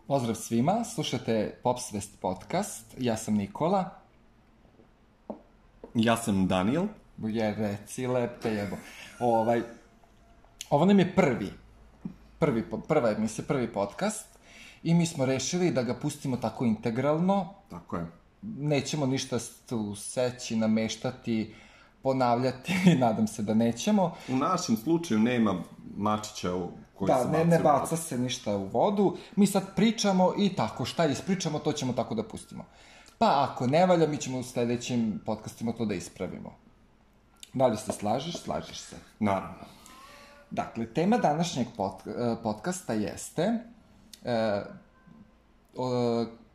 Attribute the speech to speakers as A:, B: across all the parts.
A: Pozdrav svima, slušate Popsvest podcast, ja sam Nikola.
B: Ja sam Daniel.
A: Reci lepe jebo. Ovo nam je prva emisija, prvi podcast i mi smo rešili da ga pustimo tako integralno.
B: Tako je.
A: Nećemo ništa tu seći, nameštati, ponavljati, nadam se da nećemo.
B: U našem slučaju nema mačića koji se baca.
A: Da, ne baca se ništa u vodu. Mi sad pričamo i tako, šta ispričamo, to ćemo tako da pustimo. Pa ako ne valja, mi ćemo u sledećim podcastima to da ispravimo. Da li se slažeš? Slažeš se.
B: Naravno.
A: Dakle, tema današnjeg podcasta jeste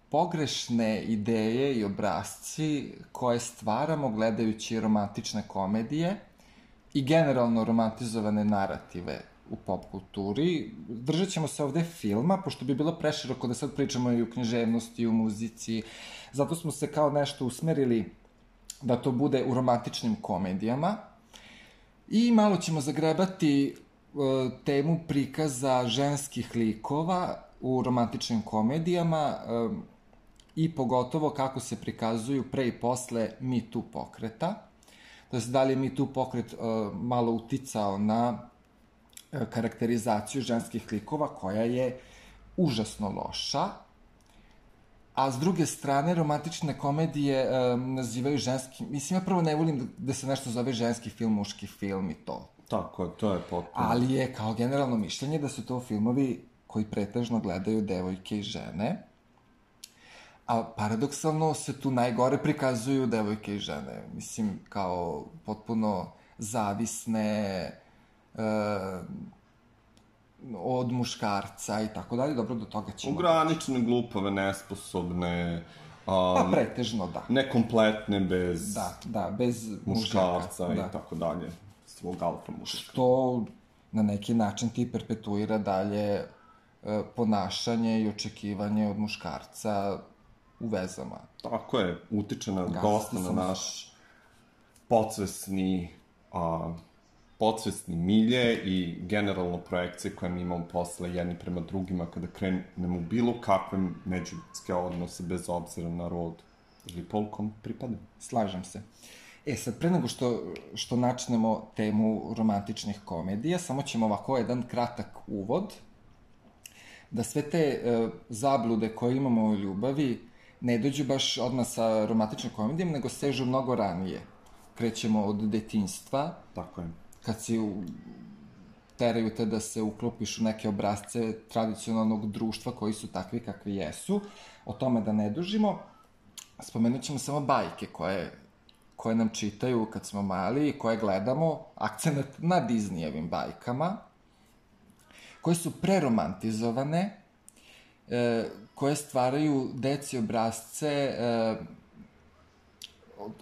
A: pogrešne ideje i obrasci koje stvaramo gledajući romantične komedije i generalno romantizovane narative u pop kulturi. Držat ćemo se ovde filma, pošto bi bilo preširoko da sad pričamo i u književnosti, i u muzici. Zato smo se kao nešto usmerili da to bude u romantičnim komedijama. I malo ćemo zagrebati temu prikaza ženskih likova u romantičnim komedijama i pogotovo kako se prikazuju pre i posle Me Too pokreta. To je da li je Me Too pokret malo uticao na karakterizaciju ženskih likova koja je užasno loša, a s druge strane romantične komedije nazivaju ženski... Mislim, ja prvo ne volim da se nešto zove ženski film, muški film i to.
B: Tako je, to je potpuno.
A: Ali je kao generalno mišljenje da su to filmovi koji pretežno gledaju devojke i žene, a paradoksalno se tu najgore prikazuju devojke i žene. Mislim, kao potpuno zavisne od muškarca i tako dalje. Dobro, do toga ćemo...
B: Ograničene, glupave, nesposobne...
A: Pa pretežno, da.
B: Nekompletne, bez...
A: Da, bez
B: muškarca i tako dalje. Svog alfa muška.
A: Što na neki način ti perpetuira dalje ponašanje i očekivanje od muškarca u vezama.
B: Tako je, utiče na dosta na naš podsvesni milje i generalno projekcije koje mi imamo posle jedni prema drugima kada krenemo u bilo kakve međuljudske odnose bez obzira na rod ili pol kom pripada.
A: Slažem se. Sad, pre nego što načnemo temu romantičnih komedija, samo ćemo ovako jedan kratak uvod, da sve te zablude koje imamo u ljubavi ne dođu baš odmah sa romantičnim komedijama, nego sežu mnogo ranije. Krećemo od detinjstva.
B: Tako je.
A: Kad teraju te da se uklopiš u neke obrazce tradicionalnog društva koji su takvi kakvi jesu. O tome da ne dužimo. Spomenut ćemo samo bajke koje nam čitaju kad smo mali i koje gledamo, akcenat na Disneyevim bajkama, koje su preromantizovane, koje stvaraju deci obrazce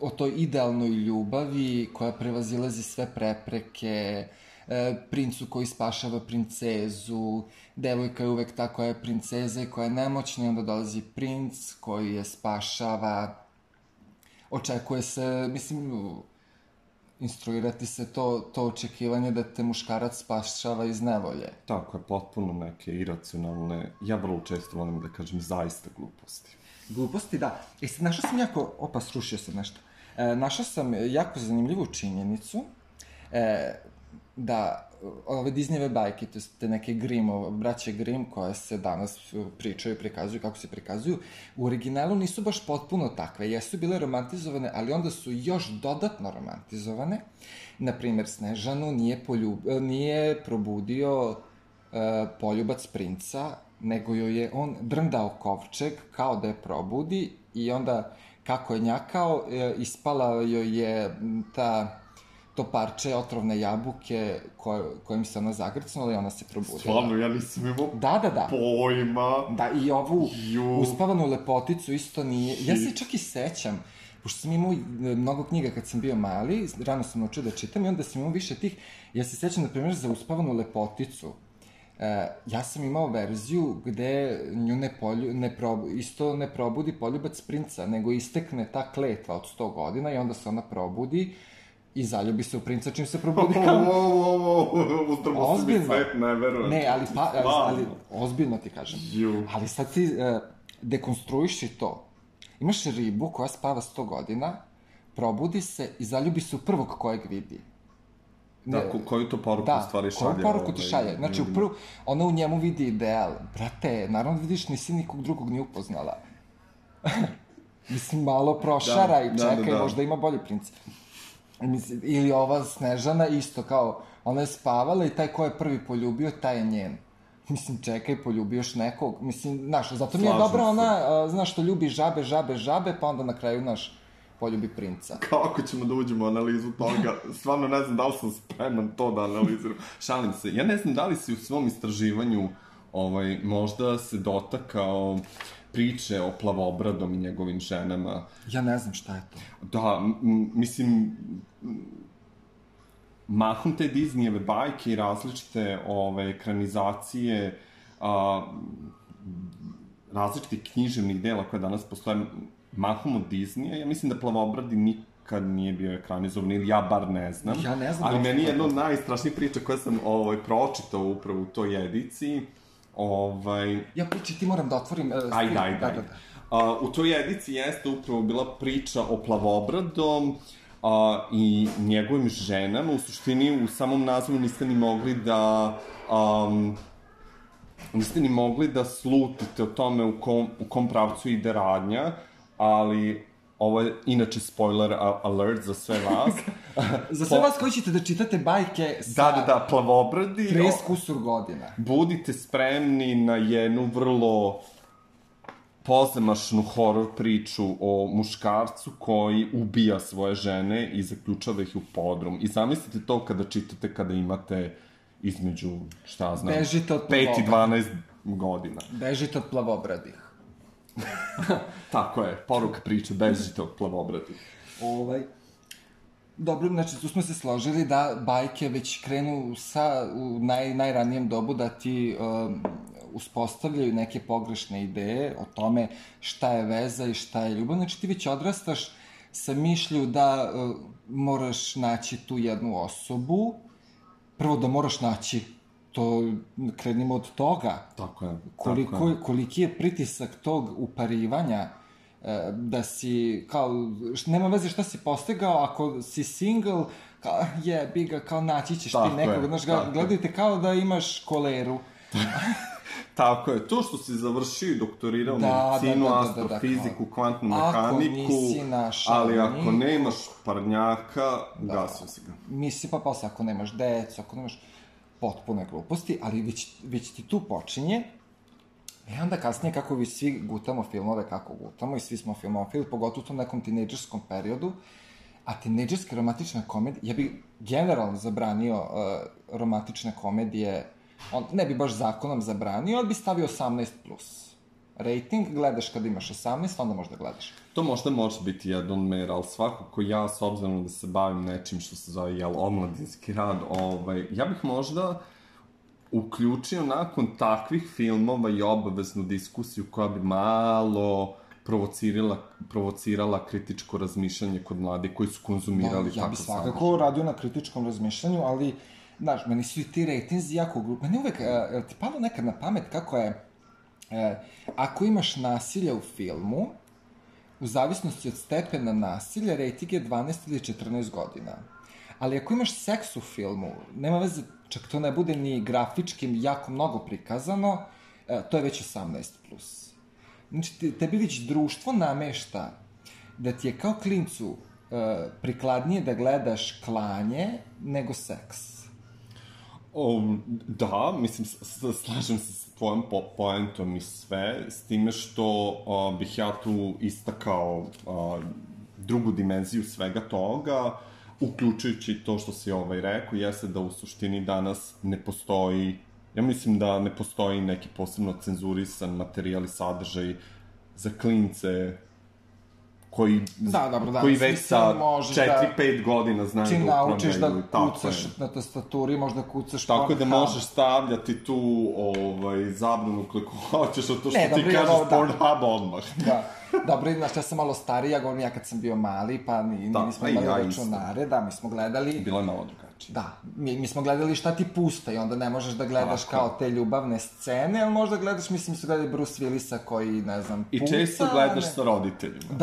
A: o toj idealnoj ljubavi koja prevazilazi sve prepreke, princu koji spašava princezu, devojka je uvek ta koja je princeza i koja je nemoćna i onda dolazi princ koji je spašava. Očekuje se, mislim, instruirati se to očekivanje da te muškarac spašava iz nevolje.
B: Tako je, potpuno neke iracionalne, ja vrlo često volim da kažem zaista gluposti.
A: Gluposti, da. Sad, srušio sam nešto. Našao sam jako zanimljivu činjenicu da ove Disneyve bajke, te neke braće Grimm koje se danas pričaju i prikazuju, kako se prikazuju, u originalu nisu baš potpuno takve. Jesu bile romantizovane, ali onda su još dodatno romantizovane. Naprimer, Snežanu nije probudio poljubac princa, nego joj je on drndao kovčeg kao da je probudi i onda kako je njakao, ispala joj je to parče otrovne jabuke kojim se ona zagrcnula i ona se probudila.
B: Stvarno, ja nisam imao pojma.
A: Da, i ovu uspavanu lepoticu isto nije... Ja se čak i sećam, pošto sam imao mnogo knjiga kad sam bio mali, rano sam naučio da čitam i onda sam imao više tih... Ja se sećam, na primjer, za uspavanu lepoticu. Ja sam imao verziju gde nju isto ne probudi poljubac princa, nego istekne ta kletva od 100 godina i onda se ona probudi i zaljubi se u princa čim se probudi kao...
B: Uzdrbo se mi svet, ne verujem.
A: Ne, ali ozbiljno ti kažem. Ali sad ti dekonstruiši to. Imaš ribu koja spava 100 godina, probudi se i zaljubi se u prvog kojeg vidi.
B: Da, koju to poruku u stvari šalje?
A: Da, koju poruku ti šalje. Znači, ona u njemu vidi ideal. Brate, naravno vidiš, nisi nikog drugog ni upoznala. Mislim, malo prošara i čekaj, možda ima bolji princ. Ili ova Snežana isto, kao, ona je spavala i taj ko je prvi poljubio, taj je njen. Mislim, čekaj, poljubiš nekog. Mislim, znaš, zato mi je dobra ona, znaš, što ljubi žabe, pa onda na kraju, znaš, poljubi princa.
B: Kako ćemo da uđemo u analizu toga? Stvarno ne znam da li sam spreman to da analiziram. Šalim se. Ja ne znam da li si u svom istraživanju možda se dotakao priče o Plavobradom i njegovim ženama.
A: Ja ne znam šta je to.
B: Da, mislim, mahom te Disneyjeve bajke i različite ekranizacije različitih književnih dela koje danas postoje mahom od Disneya, ja mislim da Plavobradi nikad nije bio ekranizovan, ili ja bar ne znam.
A: Ja ne znam.
B: Ali meni je jedna od najstrašnijih priča koje sam pročitao upravo u toj ediciji.
A: Ja priči, ti moram da otvorim...
B: Ajde. U toj ediciji jeste upravo bila priča o Plavobradom i njegovim ženama. U suštini, u samom nazivu niste ni mogli da slutite o tome u kom pravcu ide radnja, ali ovo je inače spoiler alert za sve vas.
A: Za sve vas koji ćete da čitate bajke sa...
B: Da, Plavobradi.
A: 30 kusur godina.
B: Budite spremni na jednu vrlo pozamašnu horor priču o muškarcu koji ubija svoje žene i zaključava ih u podrum. I zamislite to kada čitate kada imate između, šta znam, 5 i 12 godina.
A: Bežite od Plavobradih.
B: Tako je, poruka priče, bežite od Plavobradih.
A: Dobro, znači tu smo se složili da bajke već krenu u najranijem dobu da ti uspostavljaju neke pogrešne ideje o tome šta je veza i šta je ljubav. Znači ti već odrastaš sa mišlju da moraš naći tu jednu osobu, prvo da moraš naći, to krenimo od toga.
B: Tako je.
A: Koliki je pritisak tog uparivanja, da si, kao, nema veze šta si postigao, ako si single, kao, jebi ga, kao naći ćeš ti nekog, znaš, gledajte kao da imaš koleru.
B: Tako je, to što si završio i doktorirao medicinu, astrofiziku, kvantnu mehaniku, ali ako nemaš parnjaka, gasio si ga.
A: Misli pa posle, ako nemaš decu, ako nemaš potpune gluposti, ali već ti tu počinje. I onda kasnije, kako vi svi gutamo filmove, kako gutamo, i svi smo filmofili, pogotovo u tom nekom tinejdžerskom periodu, a tinejdžerske romantične komedije, ja bih generalno zabranio romantične komedije, ne bi baš zakonom zabranio, ali bi stavio 18+. Rating, gledaš kada imaš 18, onda možda gledaš.
B: To možda može biti jedan mer, ali svakako ja, s obzirom da se bavim nečim što se zove, omladinski rad, ja bih možda uključio nakon takvih filmova i obaveznu diskusiju koja bi malo provocirala kritičko razmišljanje kod mladih koji su konzumirali
A: tako sadržaj. Ja bih svakako radio na kritičkom razmišljanju, ali, znaš, meni su i ti rejtinzi jako glupi. Meni uvek, je ti palo nekad na pamet kako je, ako imaš nasilje u filmu, u zavisnosti od stepena nasilja, rejting je 12 ili 14 godina. Ali ako imaš seks u filmu, nema veze, čak to ne bude ni grafički jako mnogo prikazano, to je već 18+. Znači, tebi već društvo namešta da ti je kao klincu prikladnije da gledaš klanje nego seks.
B: Da, mislim, slažem se s tvojom poentom i sve, s time što bih ja tu istakao drugu dimenziju svega toga, uključujući to što si rekao, jeste da u suštini danas ne postoji, ja mislim da ne postoji neki posebno cenzurisan materijal i sadržaj za klince koji
A: Da,
B: već sa 4-5 godina znaju da upravljaju.
A: Čim naučiš da kucaš na tastaturi, možda kucaš
B: tako da možeš stavljati tu zabranu koliko hoćeš, od to što ti kažeš Pornhub odmah.
A: Da. Dobro, znaš, ja sam malo stariji, ja govorim ja kad sam bio mali, pa nismo imali računare, da, mi smo gledali...
B: Bilo je malo drugačije.
A: Da, mi smo gledali šta ti pusta i onda ne možeš da gledaš kao te ljubavne scene, ali možda gledaš, mislim, su gledali Bruce Willisa koji, ne znam, puca...
B: I često gledaš sa roditeljima.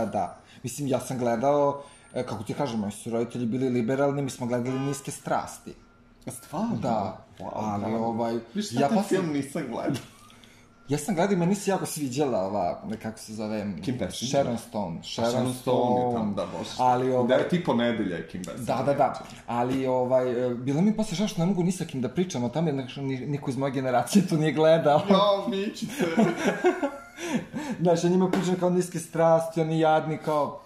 A: Da. Mislim, ja sam gledao, kako ti kažem, moji su roditelji bili liberalni, mi smo gledali Niske strasti.
B: Stvarno?
A: Da, ali
B: Viš, šta taj film nisam gledao?
A: Ja sam gledao i meni se jako sviđala ova, kako se zove...
B: Kim Basinger?
A: Sharon Stone.
B: Sharon Stone je tam, da, bože.
A: Ali,
B: da je tipo nedelja je Kim Basinger.
A: Da. Ali, bilo mi posle žao što ne mogu ni sa kim da pričam o tome, jer niko iz moje generacije to nije gledao.
B: Jo, mičice.
A: Znaš, ja njima pričam kao Niske strasti, oni jadni kao...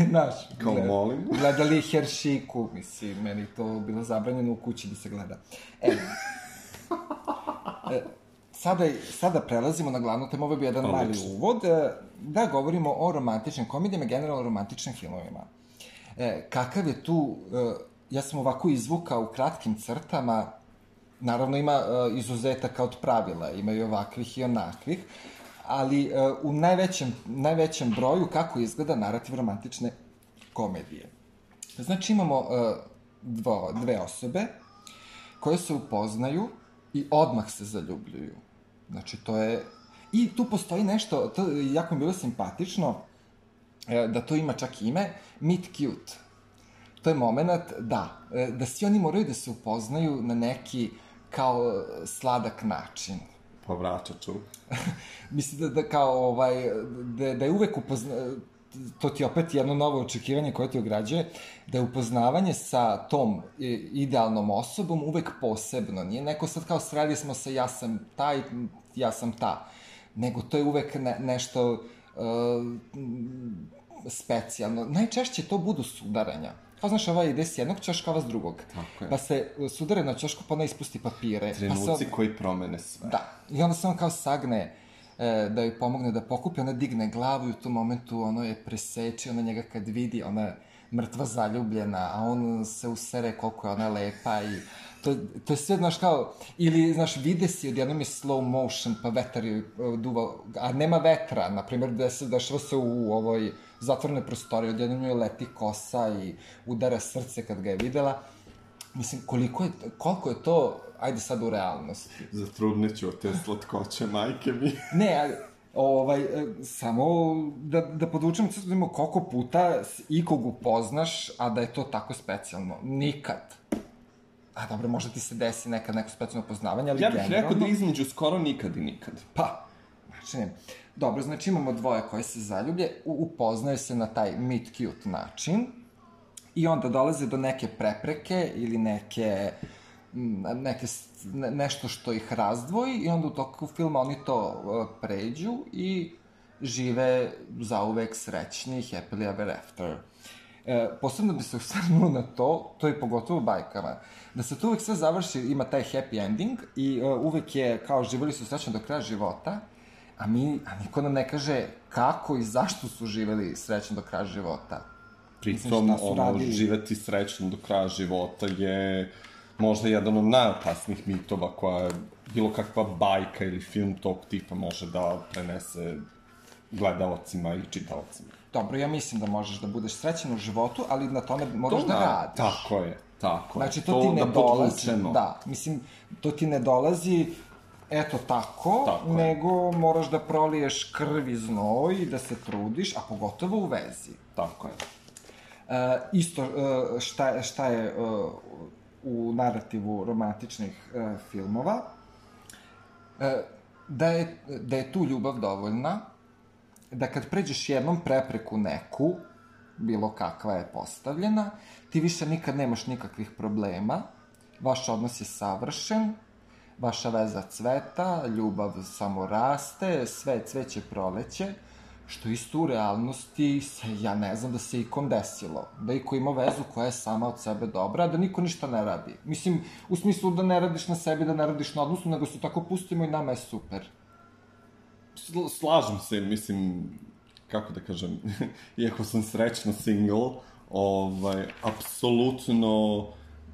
A: Znaš,
B: kao molim.
A: Gledali Heršiku, mislim, meni to bilo zabranjeno u kući da se gleda. Sada prelazimo na glavnu temu, ovo je bio jedan mali uvod, da govorimo o romantičnim komedijama, generalno romantičnim filmovima. Kakav je tu, ja sam ovako izvukao u kratkim crtama, naravno ima izuzetaka od pravila, ima i ovakvih i onakvih, ali u najvećem broju kako izgleda narativ romantične komedije. Znači imamo dve osobe koje se upoznaju i odmah se zaljubljuju. Znači, to je... I tu postoji nešto, to jako mi bilo simpatično, da to ima čak ime, meet cute. To je moment, da svi oni moraju da se upoznaju na neki kao sladak način.
B: Povraćaču.
A: Mislim da kao, da je uvek to ti opet jedno novo očekivanje koje te ograđuje, da je upoznavanje sa tom idealnom osobom uvek posebno. Nije neko sad kao sreli smo se, ja sam taj, ja sam ta. Nego to je uvek nešto specijalno. Najčešće to budu sudaranja. Kao znaš, ova ide s jednog ćoška, ova s drugog.
B: Tako je.
A: Pa se sudare na ćošku, pa ona ispusti papire.
B: Trenuci koji promene sve.
A: Da. I onda se on kao sagne da joj pomogne da pokupi, ona digne glavu i u tom momentu ono je preseče, ona njega kad vidi, ona je mrtva zaljubljena, a on se usere koliko je ona lepa i to je sve, znaš, kao, ili, znaš, vide si, odjednom je slow motion, pa vetar joj duva, a nema vetra, na primjer, dešava se u ovoj zatvorene prostorije, odjednom joj leti kosa i udara srce kad ga je videla. Mislim, koliko je to, ajde sad u realnosti.
B: Zatrudnit ću od te slatkoće, majke mi.
A: Ne, samo da podvučemo koliko puta ikog upoznaš, a da je to tako specijalno. Nikad. A dobro, možda ti se desi nekad neko specijalno poznavanje, ali generalno...
B: Ja bih rekao da između skoro nikad i nikad.
A: Pa, znači ne. Dobro, znači imamo dvoje koje se zaljublje, upoznaju se na taj meet cute način i onda dolaze do neke prepreke ili nešto što ih razdvoji i onda u toku filma oni to pređu i žive zauvek srećni, happily ever after. Posebno bi se osvrnuo na to je pogotovo u bajkama, da se to uvek sve završi, ima taj happy ending i uvek je kao živeli su srećno do kraja života, a niko nam ne kaže kako i zašto su živeli srećno do kraja života.
B: Pritom, živeti srećno do kraja života je možda jedan od najopasnijih mitova koja bilo kakva bajka ili film tog tipa može da prenese gledalcima i čitaocima.
A: Dobro, ja mislim da možeš da budeš srećan u životu, ali na tome moraš da radiš.
B: Tako je.
A: Znači, to ti ne dolazi. Da, mislim, to ti ne dolazi eto tako, nego moraš da proliješ krv i znoj, da se trudiš, a pogotovo u vezi.
B: Tako je.
A: Isto, šta je u narativu romantičnih filmova, da je tu ljubav dovoljna, da kad pređeš jednom prepreku neku, bilo kakva je postavljena, ti više nikad nemaš nikakvih problema, vaš odnos je savršen, vaša veza cveta, ljubav samo raste, sve cveće proleće, što isto u realnosti ja ne znam da se ikom desilo. Da iko ima vezu koja je sama od sebe dobra, a da niko ništa ne radi. Mislim, u smislu da ne radiš na sebi, da ne radiš na odnosu, nego se tako pustimo i nama je super.
B: Slažem se, mislim, kako da kažem, iako sam srećno single, apsolutno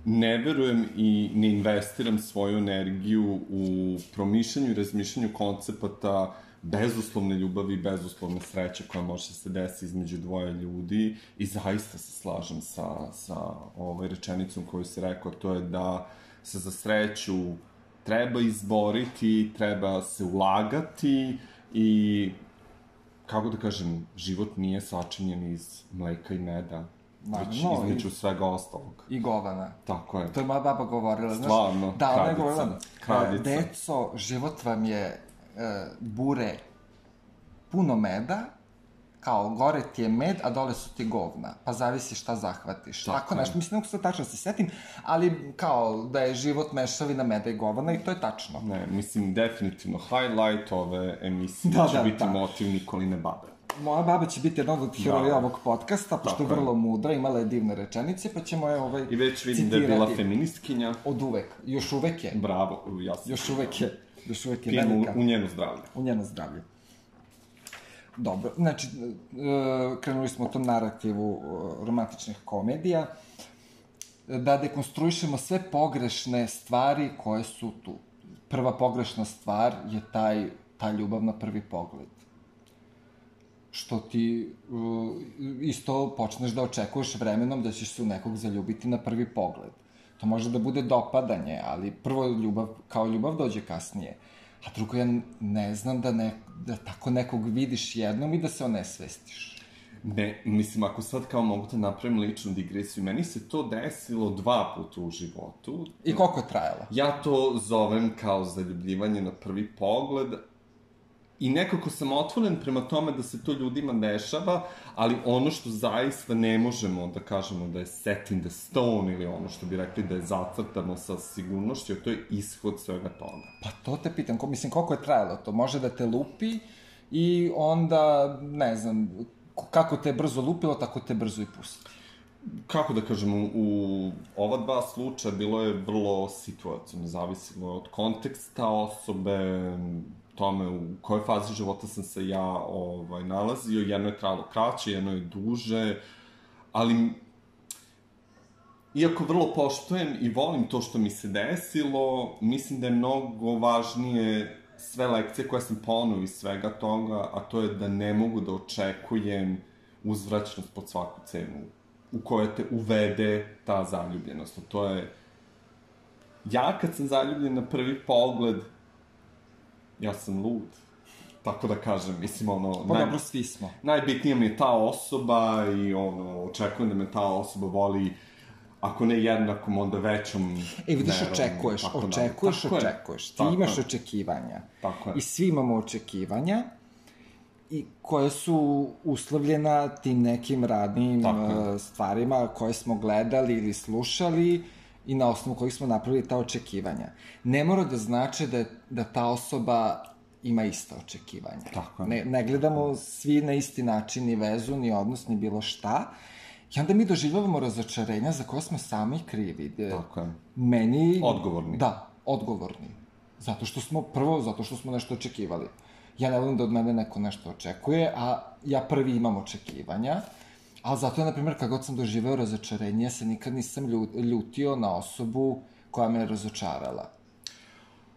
B: ne verujem i ne investiram svoju energiju u promišljanju i razmišljanju koncepata bezuslovne ljubavi i bezuslovne sreće koja može se desiti između dvoje ljudi i zaista se slažem sa rečenicom koju si rekao, to je da se za sreću treba izboriti, treba se ulagati i, kako da kažem, život nije sačinjen iz mleka i meda, već između svega ostalog.
A: I govana.
B: Tako je.
A: To je moja baba govorila.
B: Stvarno,
A: da, ona je govorila,
B: kraljica.
A: deco, život vam je bure puno meda, kao gore ti je med, a dole su ti govna, pa zavisi šta zahvatiš. Tako nešto, mislim, ne mogu se tačno se setim, ali kao da je život mešavina meda i govana i to je tačno.
B: Ne, mislim, definitivno, highlight ove emisije će biti motiv Nikoline babe.
A: Moja baba će biti jedan od heroja ovog podcasta, pošto je vrlo mudra, imala je divne rečenice, pa ćemo je citirati.
B: I već vidim da je bila feministkinja.
A: Od uvek. Još uvek je.
B: Bravo, jasno.
A: Još uvek je
B: velika. U njeno zdravlje.
A: U njeno zdravlje. Dobro, znači, krenuli smo u tom narativu romantičnih komedija, da dekonstruišemo sve pogrešne stvari koje su tu. Prva pogrešna stvar je ta ljubav na prvi pogled. Što ti isto počneš da očekuješ vremenom da ćeš se u nekog zaljubiti na prvi pogled. To može da bude dopadanje, ali prvo ljubav, kao ljubav dođe kasnije. A drugo, ja ne znam da tako nekog vidiš jednom i da se onesvestiš.
B: Ne, mislim, ako sad kao mogu da napravim ličnu digresiju, meni se to desilo 2 puta u životu.
A: I koliko je trajalo?
B: Ja to zovem kao zaljubljivanje na prvi pogled, i nekako sam otvoren prema tome da se to ljudima dešava, ali ono što zaista ne možemo da kažemo da je set in the stone ili ono što bi rekli da je zacrtano sa sigurnošću, to je ishod svega toga.
A: Pa to te pitam, mislim, koliko je trajalo to? Može da te lupi i onda, ne znam, kako te je brzo lupilo, tako te brzo i pusti.
B: Kako da kažem, u ova 2 slučaja bilo je vrlo situacijno, zavisilo je od konteksta osobe, tome u kojoj fazi života sam se ja nalazio. Jedno je trajalo kraće, jedno je duže, ali iako vrlo poštujem i volim to što mi se desilo, mislim da je mnogo važnije sve lekcije koje sam poneo iz svega toga, a to je da ne mogu da očekujem uzvraćnost pod svaku cenu u kojoj te uvede ta zaljubljenost. To je, ja kad sam zaljubljen na prvi pogled, ja sam lud, tako da kažem, mislim,
A: Pa dobro, svi smo.
B: Najbitnija mi je ta osoba i, očekujem da me ta osoba voli, ako ne jednakom, onda većom.
A: Vidiš, očekuješ. Ti imaš očekivanja.
B: Tako je.
A: I svi imamo očekivanja, i koje su uslovljena tim nekim radnim stvarima koje smo gledali ili slušali, i na osnovu kojih smo napravili ta očekivanja. Ne mora da znači da ta osoba ima ista očekivanja.
B: Tako je.
A: Ne gledamo svi na isti način, ni vezu, ni odnos, ni bilo šta. I onda mi doživljavamo razočarenja za koje smo sami krivi.
B: Tako je.
A: Meni...
B: Odgovorni.
A: Da, odgovorni. Zato što smo nešto očekivali. Ja ne volim da od mene neko nešto očekuje, a ja prvi imam očekivanja. Ali zato je, na primjer, kad god sam doživeo razočarenje, ja se nikad nisam ljutio na osobu koja me je razočarala.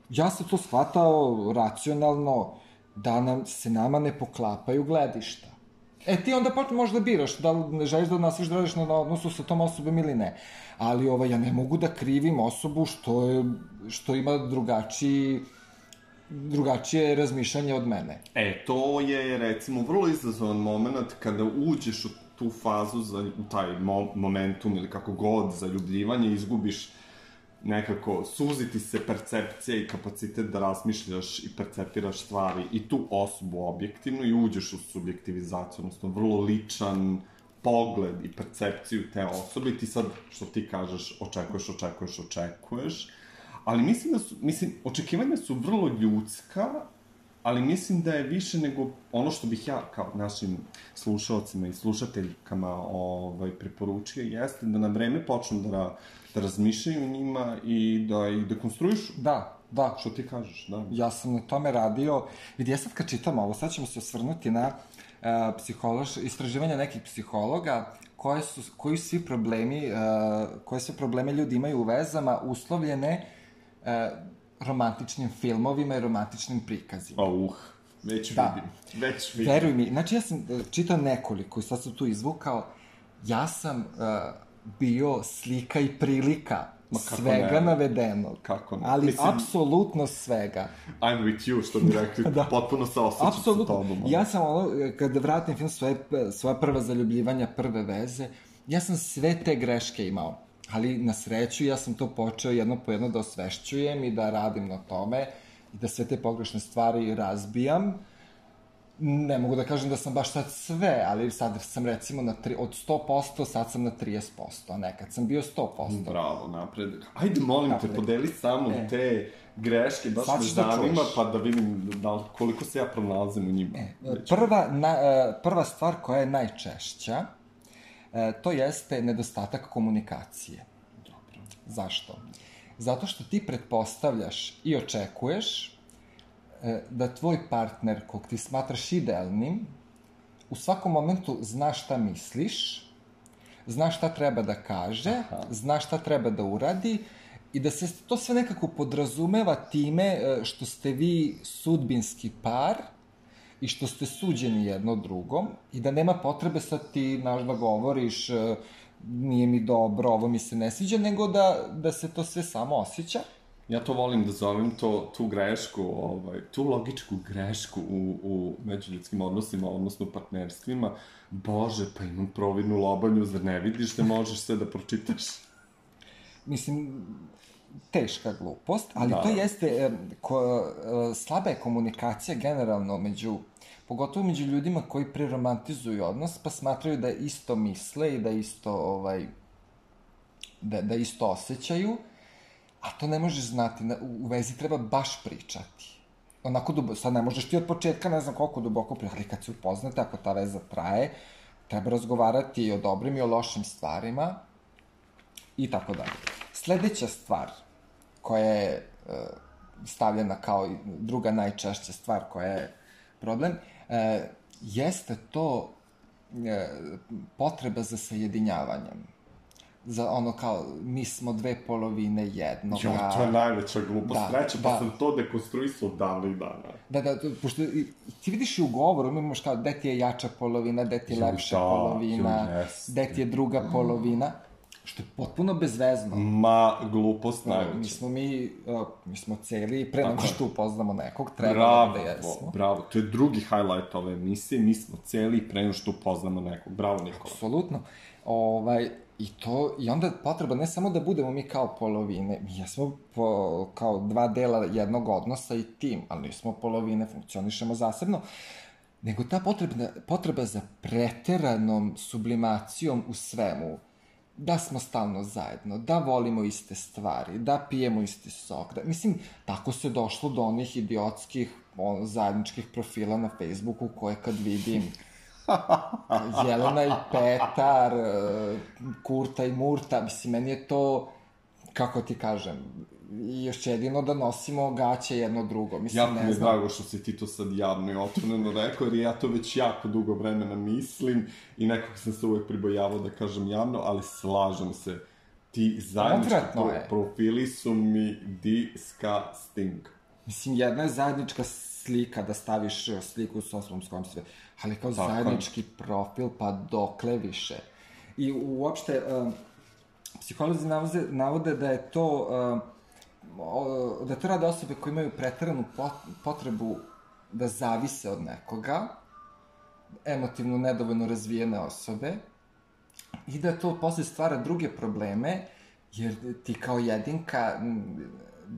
A: Ja sam to shvatao racionalno, da se nama ne poklapaju gledišta. Ti onda možeš da biraš, da li ne želiš da nastaviš da radiš na odnosu sa tom osobom ili ne. Ali ja ne mogu da krivim osobu što ima drugačije razmišljanje od mene.
B: To je, recimo, vrlo izazovan moment kada uđeš u tu fazu, u taj momentum ili kako god, zaljubljivanje, izgubiš nekako, suziti se percepcija i kapacitet da razmišljaš i percepiraš stvari i tu osobu objektivno i uđeš u subjektivizaciju, odnosno vrlo ličan pogled i percepciju te osobe i ti sad, što ti kažeš, očekuješ, ali mislim, očekivanja su vrlo ljudska, ali mislim da je više nego ono što bih ja kao našim slušalcima i slušateljkama preporučio, jeste da na vreme počnu da razmišljaju o njima i da ih dekonstruišu.
A: Da, Da.
B: Što ti kažeš, da.
A: Ja sam na tome radio, vidi, ja sad kad čitam ovo, sad ćemo se osvrnuti na istraživanja nekih psihologa, koji svi problemi, koje sve probleme ljudi imaju u vezama uslovljene romantičnim filmovima i romantičnim prikazima.
B: Već vidim.
A: Veruj mi, znači ja sam čitao nekoliko i sad sam tu izvukao, ja sam bio slika i prilika svega navedenog.
B: Kako ne?
A: Ali apsolutno svega.
B: I'm with you, što bi rekli, potpuno se osjećam sa tobom.
A: Ja sam kada vratim film svoja prva zaljubljivanja, prve veze, ja sam sve te greške imao. Ali na sreću ja sam to počeo jedno po jedno da osvešćujem i da radim na tome i da sve te pogrešne stvari razbijam. Ne mogu da kažem da sam baš sad sve, ali sad sam recimo od 100%, sad sam na 30%, a nekad sam bio 100%.
B: Bravo, napred. Ajde, molim te, podeli samo te greške, baš me zanima, pa da vidim koliko se ja pronalazim u njima.
A: Prva stvar koja je najčešća, to jeste nedostatak komunikacije.
B: Dobro.
A: Zašto? Zato što ti pretpostavljaš i očekuješ da tvoj partner, kog ti smatraš idealnim, u svakom momentu zna šta misliš, zna šta treba da kaže, zna šta treba da uradi i da se to sve nekako podrazumeva time što ste vi sudbinski par i što ste suđeni jedno drugom i da nema potrebe sad ti da govoriš nije mi dobro, ovo mi se ne sviđa, nego da se to sve samo osjeća.
B: Ja to volim da zovem tu grešku, tu logičku grešku u međuljudskim odnosima, odnosno partnerstvima. Bože, pa imam providnu lobanju, zar ne vidiš da možeš sve da pročitaš?
A: Mislim, teška glupost, ali to jeste, slaba je komunikacija generalno pogotovo među ljudima koji preromantizuju odnos, pa smatraju da isto misle i da isto osjećaju, a to ne možeš znati, u vezi treba baš pričati. Onako, sad ne možeš ti od početka, ne znam koliko duboko pričati, ali kad se upoznate, ako ta veza traje, treba razgovarati i o dobrim i o lošim stvarima i tako dalje. Sledeća stvar koja je stavljena kao druga najčešća stvar koja je problem, jeste to potreba za sajedinjavanjem. Za ono kao, mi smo dve polovine jednoga.
B: Jo, to je najveća glupost. Sreća, pa sam to dekonstruisao davno i dana.
A: Da, pošto ti vidiš i u govoru, imaš kao, gde ti je jača polovina, gde ti je lepša polovina, gde ti je druga polovina, što je potpuno bezvezno.
B: Glupost najveća.
A: Mi smo celi, pre nego što upoznamo nekog, trebalo da jesmo.
B: Bravo, to je drugi highlight ove emisije, mi smo celi, pre nego što upoznamo nekog. Bravo, Nikola.
A: Apsolutno. I onda potreba ne samo da budemo mi kao polovine, mi jesmo kao dva dela jednog odnosa i tim, ali nismo polovine, funkcionišemo zasebno, nego ta potreba za preteranom sublimacijom u svemu, da smo stalno zajedno, da volimo iste stvari, da pijemo isti sok, mislim, tako se došlo do onih idiotskih zajedničkih profila na Facebooku koje kad vidim Jelena i Petar, Kurta i Murta, mislim, meni je to, kako ti kažem, još jedino da nosimo gaće jedno drugo, mislim, ne znam.
B: Jako mi je drago što si ti to sad javno i otvoreno rekao, jer ja to već jako dugo vremena mislim i nekako sam se uvek pribojavao da kažem javno, ali slažem se, ti zajednički profili su mi disgusting.
A: Mislim, jedna je zajednička slika, da staviš sliku sa osobom s kojom sve, ali kao zajednički profil, pa dokle više. I uopšte, psiholozi navode da je to, da to rade osobe koje imaju preteranu potrebu da zavise od nekoga, emotivno nedovoljno razvijene osobe, i da to posle stvara druge probleme, jer ti kao jedinka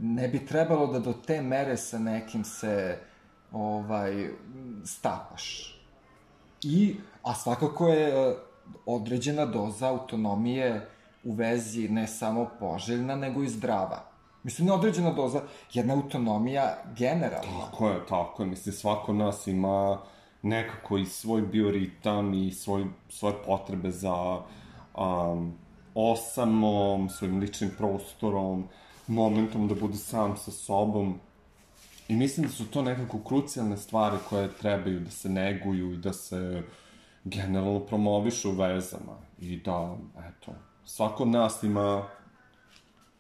A: ne bi trebalo da do te mere sa nekim se stapaš. A svakako je određena doza autonomije u vezi ne samo poželjna, nego i zdrava. Mislim, ne određena doza, jedna autonomija generalna.
B: Tako je. Mislim, svako nas ima nekako i svoj bioritam i svoje potrebe za osamom, svojim ličnim prostorom. momentom da bude sam sa sobom. I mislim da su to nekako krucijalne stvari koje trebaju da se neguju i da se generalno promovišu u vezama. I da, eto, svako od nas ima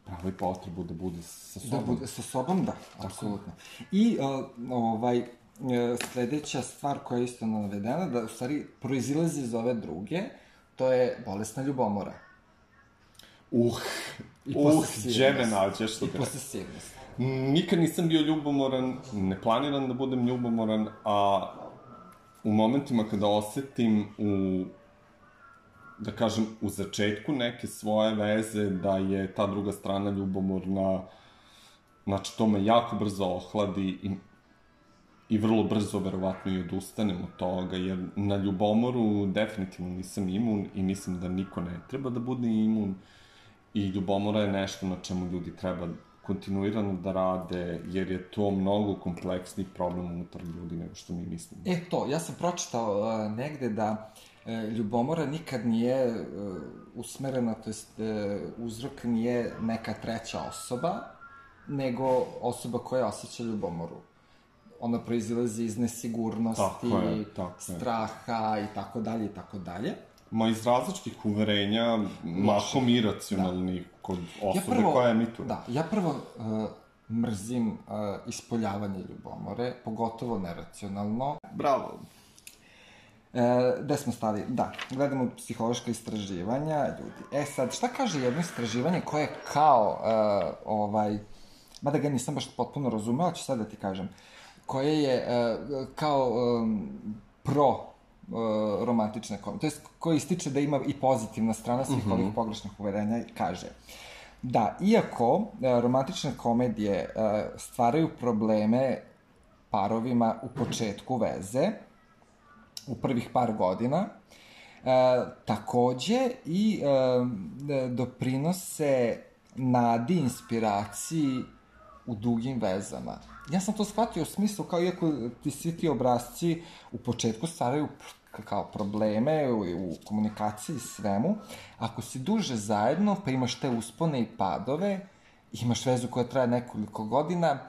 B: pravo i potrebu da bude sa sobom.
A: Da bude sa sobom, da, apsolutno. I sledeća stvar koja je isto navedena, da u stvari proizilazi iz ove druge, to je bolesna ljubomora.
B: Gdje me nađeš?
A: I posesivnost.
B: Nikad nisam bio ljubomoran, ne planiram da budem ljubomoran, a u momentima kada osetim da kažem, u začetku neke svoje veze, da je ta druga strana ljubomorna, znači to me jako brzo ohladi i vrlo brzo, verovatno, i odustanem od toga, jer na ljubomoru definitivno nisam imun i mislim da niko ne treba da bude imun i ljubomora je nešto na čemu ljudi treba kontinuirano da rade, jer je to mnogo kompleksni problem unutar ljudi nego što mi mislimo.
A: Ja sam pročitao negde da ljubomora nikad nije usmerena, to jest uzrok nije neka treća osoba, nego osoba koja osjeća ljubomoru. Ona proizilazi iz nesigurnosti, straha i tako dalje i tako dalje.
B: Ma iz različitih uverenja, mahom iracionalnih kod osobe koja emituje.
A: Da, ja prvo mrzim ispoljavanje ljubomore, pogotovo neracionalno.
B: Bravo!
A: Gde smo stali? Da, gledamo psihološka istraživanja ljudi. Sad, šta kaže jedno istraživanje koje je kao, mada ga nisam baš potpuno razumeo, ali ću sad da ti kažem, koje je kao romantične komedije, to je koji ističe da ima i pozitivna strana svih ovih pogrešnih uverenja, kaže da, iako romantične komedije stvaraju probleme parovima u početku veze, u prvih par godina, takođe i doprinose nadi, inspiraciji u dugim vezama. Ja sam to shvatio u smislu kao iako ti svi ti obrazci u početku stvaraju kao probleme u komunikaciji i svemu, ako si duže zajedno pa imaš te uspone i padove, imaš vezu koja traje nekoliko godina,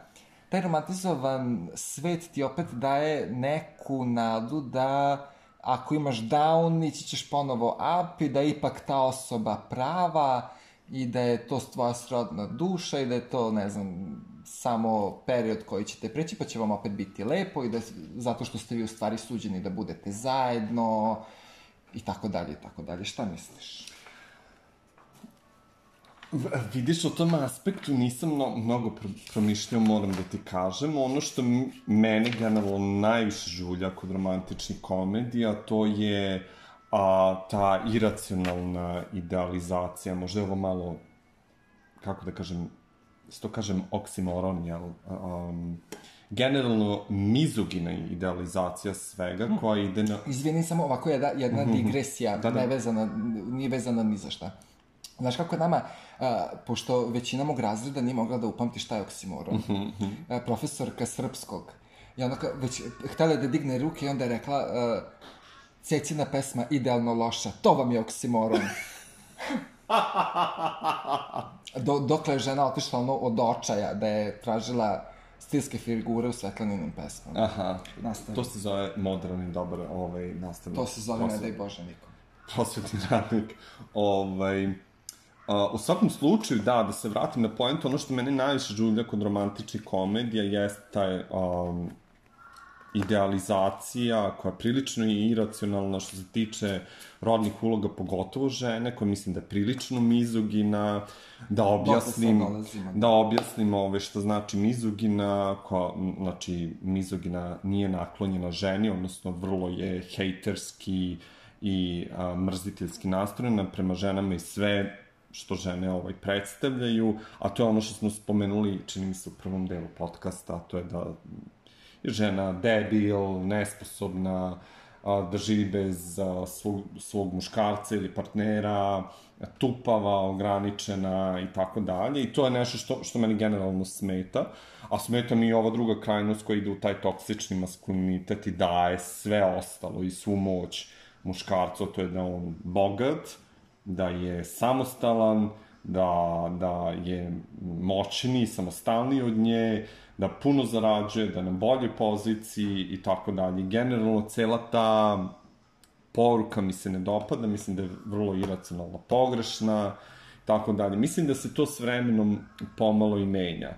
A: taj romantizovan svet ti opet daje neku nadu da ako imaš down, ići ćeš ponovo up i da je ipak ta osoba prava i da je to tvoja srodna duša i da je to, ne znam, samo period koji ćete preći, pa će vam opet biti lepo i da, zato što ste vi u stvari suđeni da budete zajedno i tako dalje i tako dalje. Šta misliš?
B: Vidiš, o tom aspektu nisam mnogo promišljao, moram da ti kažem. Ono što mene generalno najviše žulja kod romantičnih komedija, to je ta iracionalna idealizacija. Možda je ovo malo, kako da kažem, to kažem oksimoron, jel? Generalno mizogina idealizacija svega koja ide na...
A: Izvini, samo ovako jedna digresija, nije vezana ni za šta. Znaš kako je nama, pošto većina mog razreda nije mogla da upamti šta je oksimoron, profesorka srpskog, i onda već htela da digne ruke i onda je rekla Cecina pesma idealno loša, to vam je oksimoron. Dokle je žena otišla od očaja da je tražila stilske figure u Svetlaninim pesmama.
B: Aha, to se zove modern i dobar nastavnik.
A: To se zove ne daj Bože nikom.
B: Prosvetni radnik. U svakom slučaju, da se vratim na poentu, ono što mene najviše žulja kod romantičnih komedija jeste taj idealizacija koja je prilično i iracionalna što se tiče rodnih uloga, pogotovo žene, koja mislim da je prilično mizogina, da objasnim što znači mizogina, znači mizogina nije naklonjena ženi, odnosno vrlo je hejterski i mrziteljski nastrojena prema ženama i sve što žene predstavljaju, a to je ono što smo spomenuli, čini mi se u prvom delu podcasta, to je da je žena debil, nesposobna, da živi bez svog muškarca ili partnera, tupava, ograničena i tako dalje. I to je nešto što meni generalno smeta. A smeta mi i ova druga krajnost koja ide u taj toksični maskulinitet i daje sve ostalo i svu moć muškarcu, to je da on bogat, da je samostalan, da je moćniji, samostalniji od nje, da puno zarađuje, da je na boljoj poziciji i tako dalje. Generalno, cela ta poruka mi se ne dopada, mislim da je vrlo iracionalno pogrešna, tako dalje. Mislim da se to s vremenom pomalo i menja.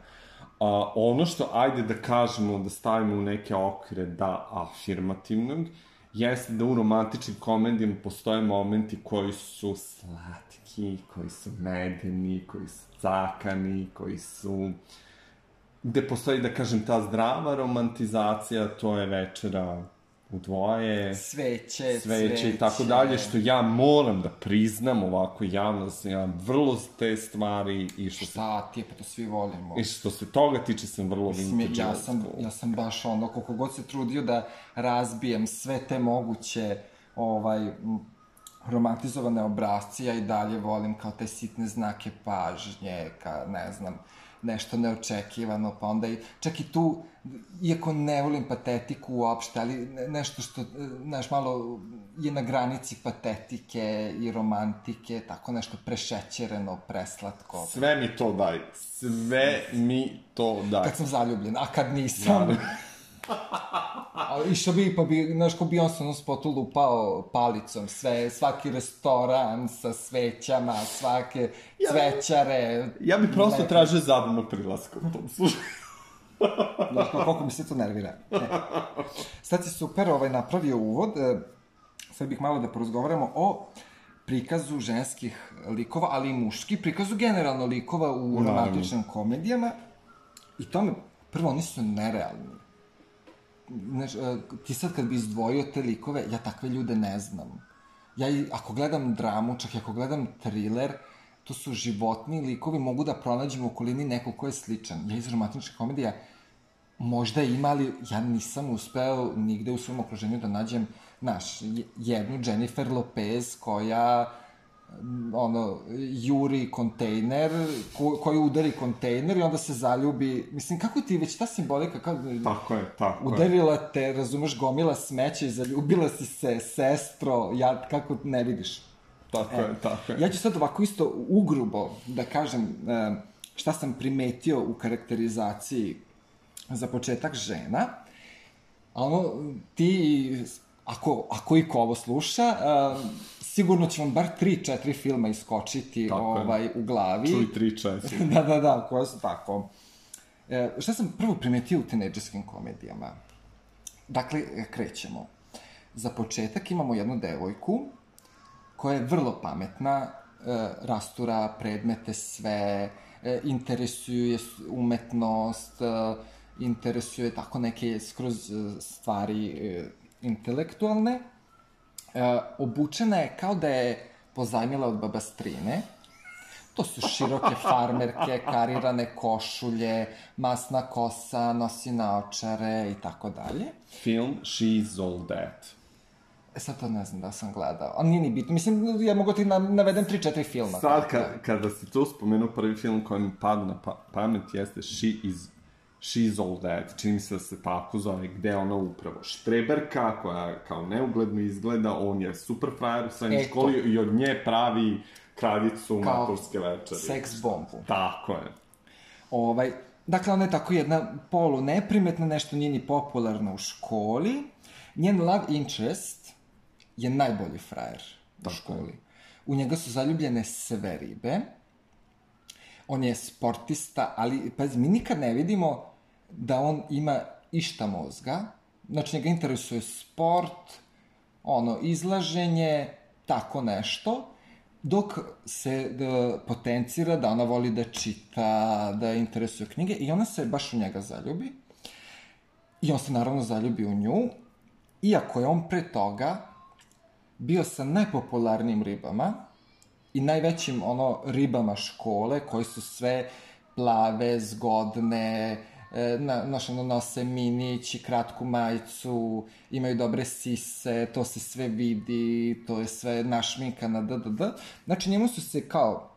B: Ono što, ajde da kažemo, da stavimo u neke okvire da afirmativnog, jeste da u romantičnim komedijama postoje momenti koji su slatki, koji su medeni, koji su cakani, koji su... gde postoji, da kažem, ta zdrava romantizacija, to je večera u dvoje, sveće i tako dalje, što ja moram da priznam ovako javno, da sam ja vrlo te stvari i što se...
A: Šta ti je, pa to svi volimo.
B: I što se toga tiče sam vrlo vintage.
A: Ja sam baš ono, koliko god se trudio da razbijem sve te moguće romantizovane obrazce, ja i dalje volim kao te sitne znake pažnje, ne znam, nešto neočekivano, pa onda i, čak i tu, iako ne volim patetiku uopšte, ali nešto što, znaš, malo je na granici patetike i romantike, tako nešto prešećereno, preslatko.
B: Sve mi to daj, sve mi to daj.
A: Kad sam zaljubljen, a kad nisam... Išao bi, pa bi, znaš, ko Beyoncé ono spotu lupao palicom, svaki restoran sa svećama, svake cvećare...
B: Ja bi prosto tražio zabavnog prilaska u tom slučaju.
A: Znaš, koliko mi se to nervira. Sad si super napravio uvod, sad bih malo da porozgovaramo o prikazu ženskih likova, ali i muških, prikazu generalno likova u romantičnim komedijama. I tome, prvo, oni su nerealni. Znaš, ti sad kad bi izdvojio te likove, ja takve ljude ne znam. Ja ako gledam dramu, čak i ako gledam thriller, to su životni likovi, mogu da pronađem u okolini nekog ko je sličan. Ja iz romantične komedija možda ima, ali ja nisam uspeo nigde u svom okruženju da nađem, znaš, jednu Jennifer Lopez koja juri kontejner, koji udari kontejner i onda se zaljubi. Mislim, kako ti već ta simbolika,
B: tako je.
A: Udarila te, razumeš, gomila smeća i zaljubila si se, sestro, kako ne vidiš.
B: Tako je.
A: Ja ću sad ovako isto ugrubo da kažem šta sam primetio u karakterizaciji za početak žena, a ti, ako i ko ovo sluša, sigurno će vam bar 3-4 filma iskočiti u glavi.
B: Čuj 3-4.
A: Da, koja su tako. Šta sam prvo primetio u tinejdžerskim komedijama? Dakle, krećemo. Za početak imamo jednu devojku koja je vrlo pametna, rastura predmete sve, interesuje je umetnost, interesuje tako neke skroz stvari intelektualne. Obučena je kao da je pozajmila od babastrine. To su široke farmerke, karirane košulje, masna kosa, nosi naočare i tako dalje.
B: Film She's All That.
A: Sad to ne znam da sam gledao, ali nije ni bitno. Mislim, ja mogu ti navedem 3-4 filma.
B: Sad, kada si tu spomenuo prvi film koji mi pada na pamet, jeste She's All That. Čini mi se da se tako zove, gde ona upravo štreberka, koja kao neugledno izgleda, on je super frajer u srednjoj školi i od nje pravi kraljicu maturske večeri.
A: Seks bombu.
B: Tako je.
A: Dakle, ona je tako jedna polu neprimetna, nešto nije ni popularna u školi. Njen love interest je najbolji frajer u školi. U njega su zaljubljene sve ribe. On je sportista, ali, pazi, mi nikad ne vidimo da on ima išta mozga. Znači, njega interesuje sport, izlaženje, tako nešto, dok se potencira da ona voli da čita, da interesuje knjige i ona se baš u njega zaljubi. I on se naravno zaljubi u nju, iako je on pre toga bio sa najpopularnijim ribama i najvećim ribama škole, koje su sve plave, zgodne, nose minić i kratku majicu, imaju dobre sise, to se sve vidi, to je sve našminkana, Znači, njemu su se kao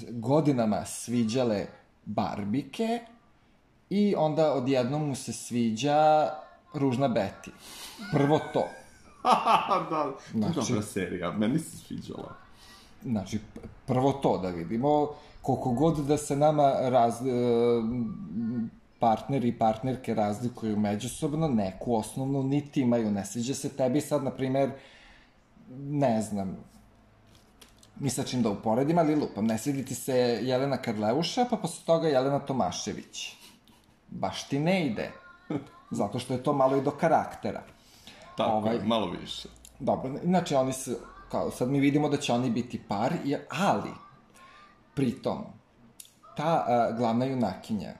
A: godinama sviđale barbike i onda odjednom mu se sviđa Ružna Beti. Prvo to.
B: Da, to je dobra serija, meni se sviđala.
A: Znači, prvo to da vidimo, koliko god da se nama partneri i partnerke razlikuju međusobno, neku osnovnu nit imaju. Ne sviđa se tebi sad, na primer, ne znam, ni sa čim da uporedim, ali lupam, ne svidi ti se Jelena Karleuša, pa posle toga Jelena Tomašević. Baš ti ne ide. Zato što je to malo i do karaktera.
B: Tako je, malo više.
A: Dobro, znači oni su, kao sad mi vidimo da će oni biti par, ali, pritom, ta glavna junakinja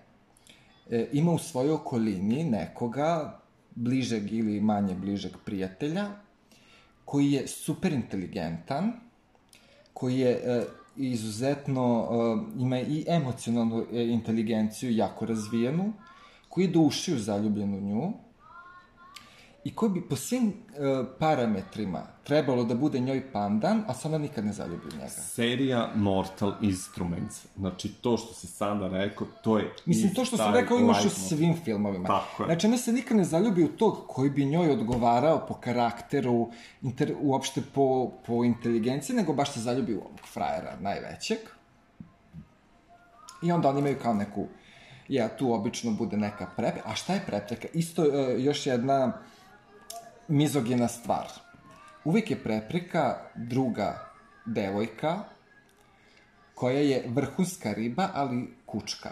A: ima u svojoj okolini nekoga bližeg ili manje bližeg prijatelja, koji je super inteligentan, koji je izuzetno, ima i emocionalnu inteligenciju jako razvijenu, koji je do ušiju zaljubljen u nju i koji bi po svim parametrima trebalo da bude njoj pandan, a se ona nikad ne zaljubi u njega.
B: Serija Mortal Instruments. Znači, to što si sada rekao, to je...
A: Mislim, to što sam rekao imaš u svim filmovima.
B: Tako je.
A: Znači, ona se nikad ne zaljubi u tog koji bi njoj odgovarao po karakteru, uopšte po inteligenciji, nego baš se zaljubi u ovog frajera najvećeg. I onda oni imaju kao neku... tu obično bude neka prepreka. A šta je prepreka? Isto još jedna mizogina stvar. Uvijek je prepreka druga devojka koja je vrhunska riba, ali kučka.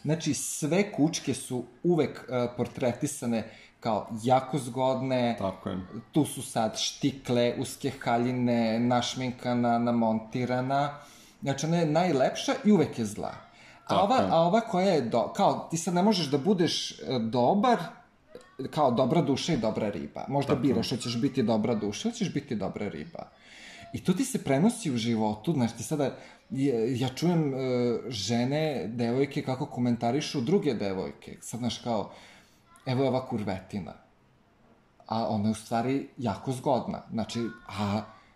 A: Znači, sve kučke su uvek portretisane kao jako zgodne.
B: Tako je.
A: Tu su sad štikle, uske haljine, našminkana, namontirana. Znači, ona je najlepša i uvek je zla. A ova koja je, kao, ti sad ne možeš da budeš dobar, kao dobra duša i dobra riba. Možda biraš, hoćeš biti dobra duša, hoćeš biti dobra riba. I to ti se prenosi u životu, znaš, ti sada, ja čujem žene, devojke, kako komentarišu druge devojke. Sad, znaš, kao, evo je ova kurvetina. A ona je u stvari jako zgodna. Znači,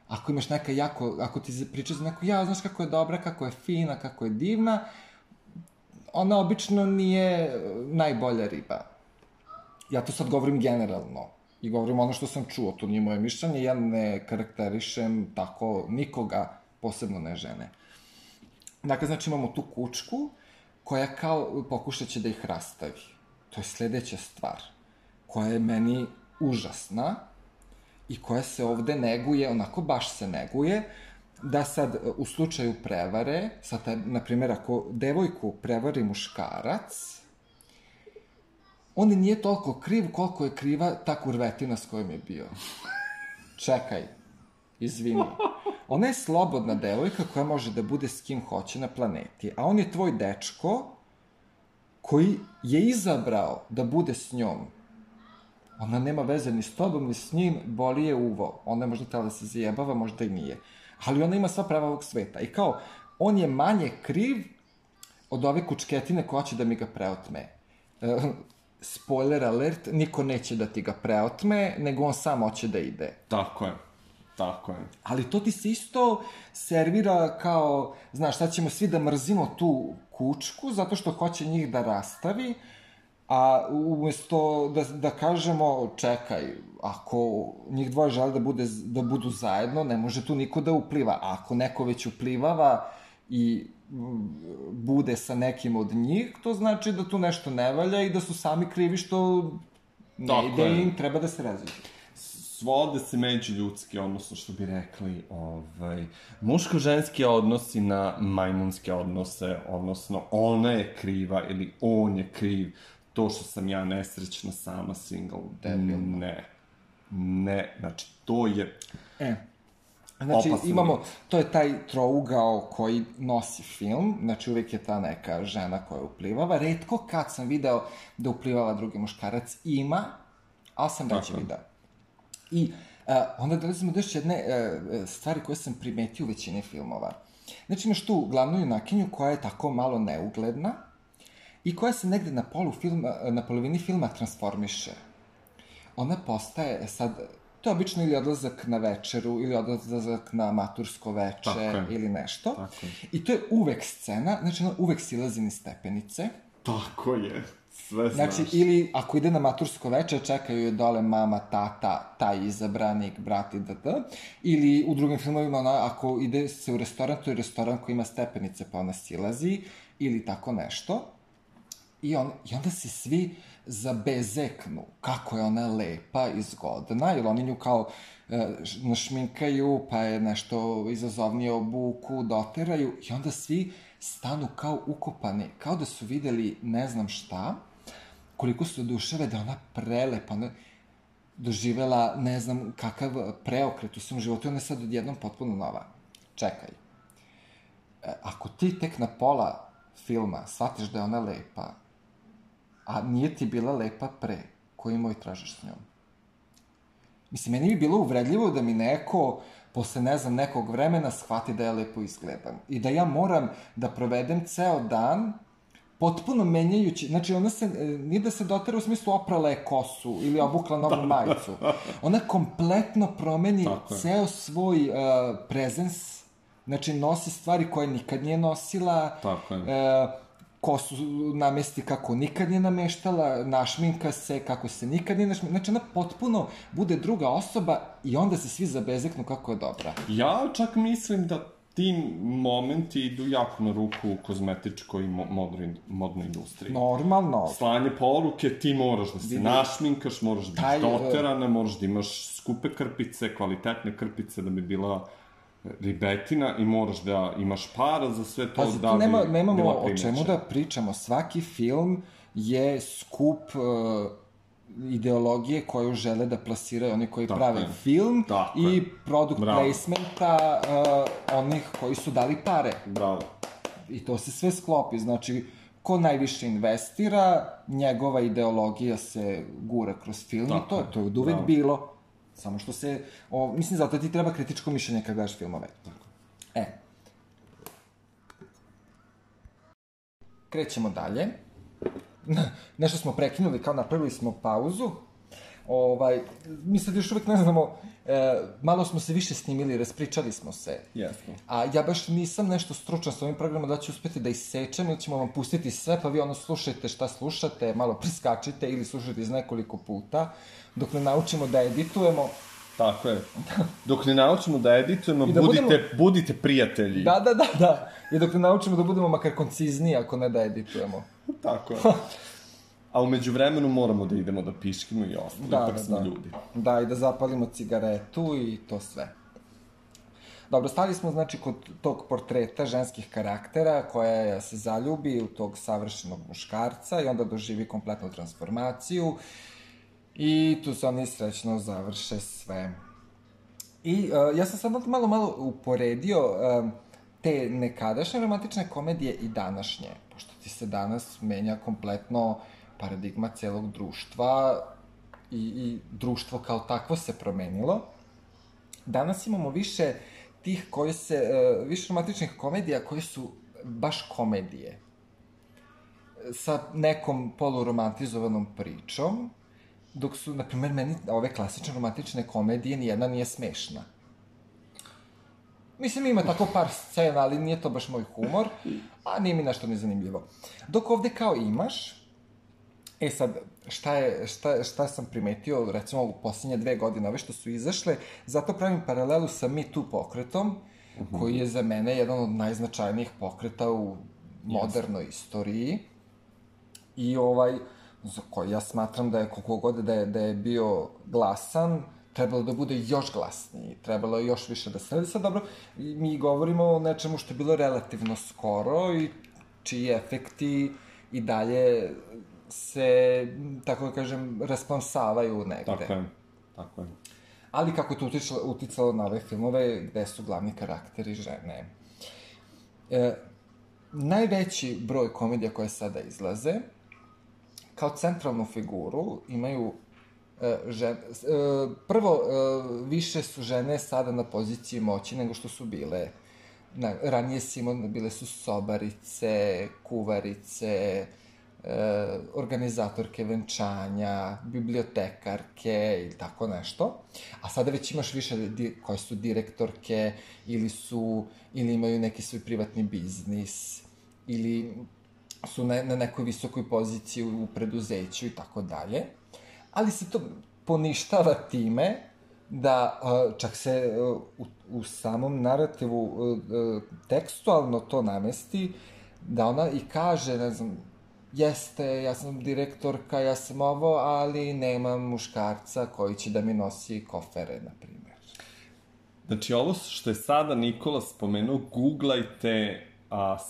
A: ako imaš neka jako, ako ti priča za neku, znaš kako je dobra, kako je fina, kako je divna, ona obično nije najbolja riba. Ja to sad govorim generalno. I govorim ono što sam čuo, to nije moje mišljenje, ja ne karakterišem tako nikoga, posebno ne žene. Dakle, znači imamo tu kučku koja kao pokušat će da ih rastavi. To je sledeća stvar, koja je meni užasna i koja se ovde neguje, onako baš se neguje, da sad u slučaju prevare, sad, na primjer, ako devojku prevari muškarac, on nije toliko kriv koliko je kriva ta kurvetina s kojom je bio. Čekaj, izvini. Ona je slobodna devojka koja može da bude s kim hoće na planeti, a on je tvoj dečko koji je izabrao da bude s njom. Ona nema veze ni s tobom, ni s njim, boli je uvo. Ona je možda htjela da se zajebava, možda i nije. Ali ona ima sva prava ovog sveta. I kao, on je manje kriv od ove kučketine koja će da mi ga preotme. Spoiler alert, niko neće da ti ga preotme, nego on sam hoće da ide.
B: Tako je.
A: Ali to ti se isto servira kao, znaš, sad ćemo svi da mrzimo tu kučku, zato što hoće njih da rastavi, a umjesto da kažemo, čekaj, ako njih dvoje žele da budu zajedno, ne može tu niko da upliva. A ako neko već uplivava i bude sa nekim od njih, to znači da tu nešto ne valja i da su sami krivi što ne ide im, treba da se različi.
B: Svode se međuljudski, odnosno što bi rekli, muško-ženski odnosi na majmunske odnose, odnosno ona je kriva ili on je kriv, to što sam ja nesrećna sama single. Ne, znači to je
A: znači
B: opasno.
A: Imamo, to je taj trougao koji nosi film, znači uvijek je ta neka žena koja uplivava, retko kad sam video da uplivava drugi muškarac, ima, ali sam već video. I onda dolazimo do još jedne stvari koje sam primetio u većini filmova. Znači imaš tu glavnu junakinju koja je tako malo neugledna i koja se negde na polovini filma transformiše. Ona postaje sad, to je obično ili odlazak na večeru, ili odlazak na matursko veče, ili nešto. I to je uvek scena, znači ona uvek silazi niz stepenice.
B: Tako je. Sve znaš.
A: Znači, ili ako ide na matursko veče, čekaju je dole mama, tata, taj izabranik, brat i d.d. Ili u drugim filmovima, ako ide se u restoran, to je restoran koji ima stepenice pa ona silazi, ili tako nešto. I onda se svi zabezeknu kako je ona lepa i zgodna, jer oni nju kao našminkaju, pa je nešto izazovnije obuku, doteraju, i onda svi stanu kao ukopani, kao da su videli ne znam šta, koliko su oduševe da ona prelepa, ona doživela ne znam kakav preokret u svom životu, ona je sad odjednom potpuno nova. Čekaj. Ako ti tek na pola filma shvatiš da je ona lepa, a nije ti bila lepa pre, koji moj tražiš s njom? Mislim, meni bi bilo uvredljivo da mi neko, posle, ne znam, nekog vremena shvati da ja lepo izgledam. I da ja moram da provedem ceo dan potpuno menjajući, znači ona se, nije da se dotera u smislu oprala je kosu ili obukla novu majicu. Ona kompletno promeni ceo svoj prezens, znači nosi stvari koje nikad nije nosila, kosu namesti kako nikad nije nameštala, našminka se kako se nikad nije našminkala. Znači, ona potpuno bude druga osoba i onda se svi zabezeknu kako je dobra.
B: Ja čak mislim da ti momenti idu jako na ruku kozmetičkoj i modnoj industriji.
A: Normalno.
B: Slanje poruke, ti moraš da se našminkaš, moraš da biti doterana, moraš da imaš skupe krpice, kvalitetne krpice da bi bila ribetina i moraš da imaš para za sve to da bi bila primećena.
A: Nemamo o čemu da pričamo. Svaki film je skup ideologije koju žele da plasiraju oni koji prave film i product placementa onih koji su dali pare.
B: Bravo.
A: I to se sve sklopi. Znači, ko najviše investira, njegova ideologija se gura kroz film i to je od uvek bilo. Samo što se, mislim, zato ti treba kritičko mišljenje kad gledaš filmove. Krećemo dalje. Nešto smo prekinuli, kao napravili smo pauzu. Mi sad još uvek ne znamo, malo smo se više snimili, raspričali smo se.
B: Jasno.
A: A ja baš nisam nešto stručan sa ovim programom da ću uspeti da isečem ili ćemo vam pustiti sve, pa vi slušajte šta slušate, malo preskačite ili slušajte iz nekoliko puta, dok ne naučimo da editujemo.
B: Tako je. Dok ne naučimo da editujemo, budite prijatelji.
A: Da. I dok ne naučimo da budemo makar koncizniji, ako ne da editujemo.
B: Tako je. A umeđu vremenu moramo da idemo da piškimo i ostalo, ipak smo ljudi.
A: Da, i da zapalimo cigaretu i to sve. Dobro, stali smo, znači, kod tog portreta ženskih karaktera koja se zaljubi u tog savršenog muškarca i onda doživi kompletnu transformaciju i tu se oni srećno završe sve. I ja sam sad malo uporedio te nekadašnje romantične komedije i današnje, pošto ti se danas menja kompletno paradigma celog društva i društvo kao takvo se promenilo. Danas imamo više tih više romantičnih komedija koje su baš komedije. Sa nekom poluromantizovanom pričom, dok su, na primer, meni ove klasične romantične komedije nijedna nije smešna. Mislim, ima tako par scena, ali nije to baš moj humor, a nije mi nešto nezanimljivo. Dok ovde kao imaš, sad, šta sam primetio, recimo, u posljednje 2 godine, ove što su izašle, zato pravim paralelu sa Me Too pokretom, koji je za mene jedan od najznačajnijih pokreta u modernoj istoriji. I za koji ja smatram da je, koliko god da je bio glasan, trebalo da bude još glasniji, trebalo je još više da se radi. Sad, dobro, mi govorimo o nečemu što je bilo relativno skoro i čiji efekti i dalje se, tako da kažem, rasplamsavaju negde.
B: Tako je.
A: Ali kako je to uticalo na ove filmove gde su glavni karakteri žene. Najveći broj komedija koje sada izlaze, kao centralnu figuru imaju prvo, više su žene sada na poziciji moći nego što su bile. Ranije bile su sobarice, kuvarice, organizatorke venčanja, bibliotekarke i tako nešto. A sada već imaš više koje su direktorke ili imaju neki svoj privatni biznis ili su na nekoj visokoj poziciji u preduzeću i tako dalje, ali se to poništava time da čak se u samom narativu tekstualno to namesti, da ona i kaže, ne znam, jeste, ja sam direktorka, ja sam ovo, ali nemam muškarca koji će da mi nosi kofere, na primjer.
B: Znači, ovo što je sada Nikola spomenuo, googlajte,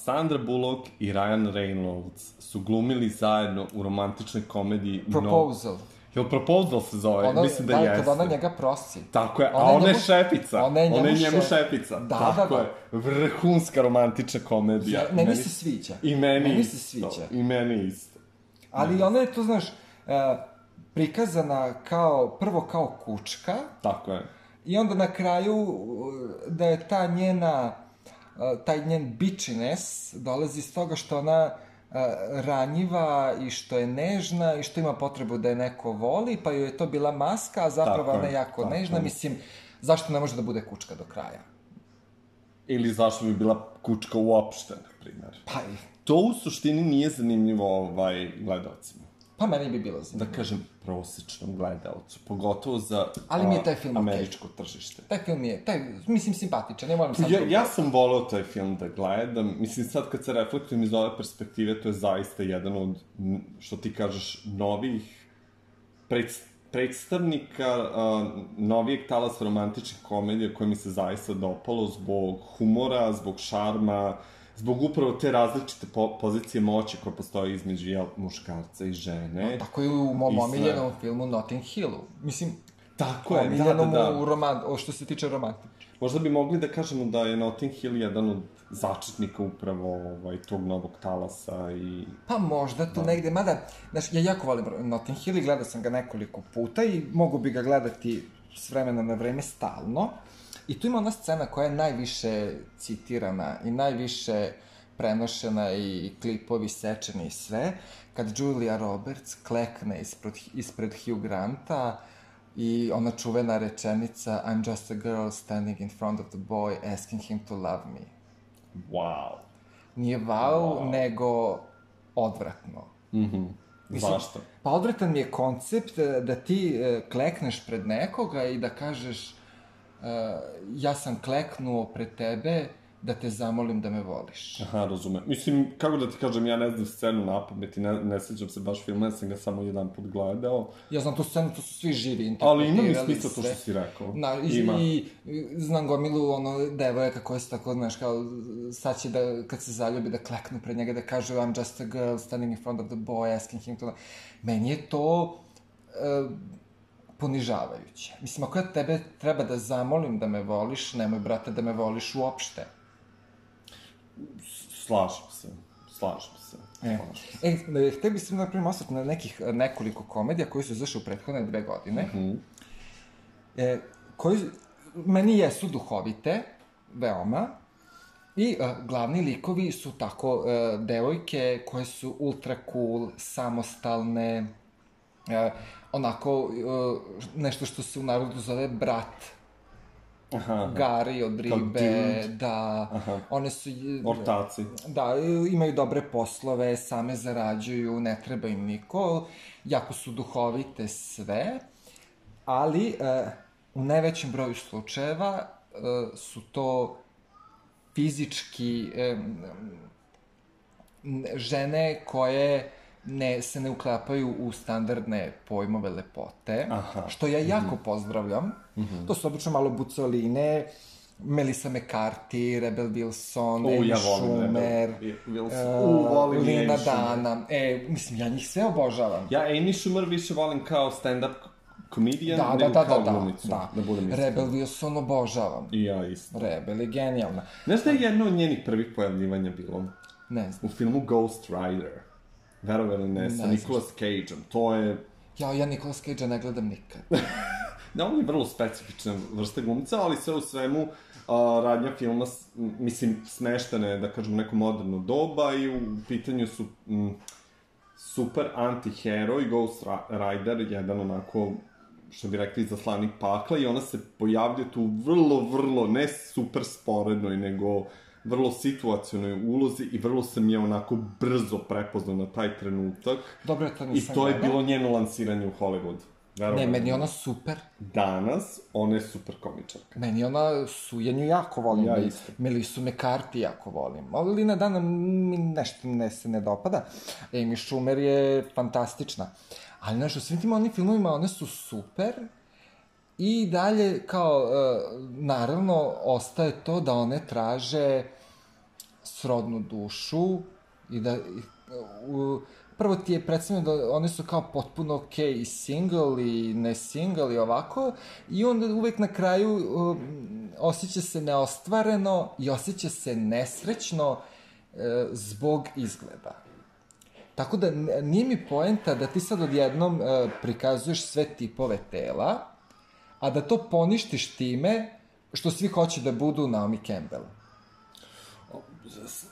B: Sandra Bullock i Ryan Reynolds su glumili zajedno u romantičnoj komediji...
A: Proposal.
B: Jel Proposal se zove? Mislim da jeste.
A: Da, kada ona njega prosi.
B: Tako je, a ona je šefica. Ona je njemu šefica.
A: Da,
B: tako je. Vrhunska romantična komedija.
A: Meni se sviđa.
B: I meni
A: se sviđa.
B: I meni isto.
A: Ali ona je to, znaš, prikazana prvo kao kučka.
B: Tako je.
A: I onda na kraju da je taj njen bitchiness dolazi iz toga što ona ranjiva i što je nežna i što ima potrebu da je neko voli, pa joj je to bila maska, a zapravo ona je jako nežna. Mislim, zašto ne može da bude kučka do kraja?
B: Ili zašto bi bila kučka uopšte, na primjer.
A: Pa i...
B: To u suštini nije zanimljivo gledalcima.
A: Pa meni bi bilo zanimljivo.
B: Da kažem, prosječnom gledalcu, pogotovo za
A: ali mi je taj film
B: američko tržište.
A: Taj film je, mislim, simpatičan, ne moram sad...
B: Ja sam voleo taj film da gledam, mislim, sad kad se reflektujem iz ove perspektive, to je zaista jedan od, što ti kažeš, novih predstavnika novijeg talasa romantičnih komedija koje mi se zaista dopalo zbog humora, zbog šarma, zbog upravo te različite pozicije moći koja postoje između muškarca i žene.
A: Tako i u mom omiljenom filmu Notting Hillu. Mislim,
B: tako je,
A: omiljenom što se tiče romantike.
B: Možda bi mogli da kažemo da je Notting Hill jedan od začetnika upravo tog novog talasa i...
A: Pa možda tu negde, mada, znaš, ja jako volim Notting Hill i gledao sam ga nekoliko puta i mogu bi ga gledati s vremena na vreme stalno. I tu ima ona scena koja je najviše citirana i najviše prenošena i klipovi sečeni i sve, kad Julia Roberts klekne ispred Hugh Granta i ona čuvena rečenica I'm just a girl standing in front of the boy asking him to love me.
B: Wow.
A: Nije wow, nego odvratno.
B: Zašto?
A: Pa odvratan mi je koncept da ti klekneš pred nekoga i da kažeš ja sam kleknuo pred tebe da te zamolim da me voliš.
B: Aha, razumem. Mislim, kako da ti kažem, ja ne znam scenu napamet i ne sjećam se baš filma, ja sam ga samo jedan put gledao.
A: Ja znam tu scenu, to su svi živi
B: Ali
A: interpretirali.
B: ima mi smisla to što si rekao.
A: Ima. I znam gomilu devojaka koje su tako, znaš, kao sad će da, kad se zaljubi, da kleknu pred njega, da kažu I'm just a girl standing in front of the boy asking him to... Meni je to... ponižavajuće. Mislim, ako ja tebe treba da zamolim da me voliš, nemoj, brate, da me voliš uopšte.
B: Slažem se.
A: Htio bih se, na primjer, ostati na nekoliko komedija koji su izašli u prethodne 2 godine, koji meni jesu duhovite, veoma, i glavni likovi su tako devojke koje su ultra cool, samostalne, onako, nešto što se u narodu zove brat. Gari od ribe, da, one su...
B: Ortaci.
A: Da, imaju dobre poslove, same zarađuju, ne treba im niko, jako su duhovite sve, ali u najvećem broju slučajeva su to fizički žene koje se ne uklapaju u standardne pojmove lepote, što ja jako pozdravljam. To su obično malo bucoline, Melissa McCarthy, Rebel Wilson, Amy Schumer, Lena Dunham. Mislim, ja njih sve obožavam.
B: Ja Amy Schumer više volim kao stand-up comedian, nego kao glumicu.
A: Rebel Wilson obožavam.
B: I ja isto.
A: Rebel je genijalna.
B: Znaš da je jedno od njenih prvih pojavljivanja bilo?
A: Ne znam.
B: U filmu Ghost Rider. Verovali ne, sa Nicolas Cage-om. To je...
A: Ja Nicolas Cage-a ne gledam nikad.
B: Da, on je vrlo specifična vrsta glumca, ali sve u svemu radnja filma, mislim, smeštene, da kažem, neko moderno doba i u pitanju su super anti-heroj, Ghost Rider, jedan onako, što bi rekli, zaslanik pakla i ona se pojavlja tu vrlo, ne super sporednoj, nego vrlo situacionoj ulozi i vrlo sam je onako brzo prepoznao na taj trenutak.
A: Dobro, to nisam
B: I to je
A: gledao.
B: bilo njeno lansiranje u Hollywoodu.
A: Ne, meni je ona super.
B: Danas, ona je super komičarka.
A: Meni ona Sujenju jako volim.
B: Ja isto.
A: Melisu McCarthy jako volim. Ali Lina Dana mi nešto se ne dopada. Amy Schumer je fantastična. Ali, znaš, u svim tim onim filmovima one su super. I dalje, kao, naravno, ostaje to da one traže srodnu dušu i da... Prvo ti je predstavljeno da one su kao potpuno okej i single i ne single i ovako, i onda uvek na kraju osjeća se neostvareno i osjeća se nesrećno zbog izgleda. Tako da nije mi poenta da ti sad odjednom prikazuješ sve tipove tela, a da to poništiš time što svi hoće da budu Naomi Campbell.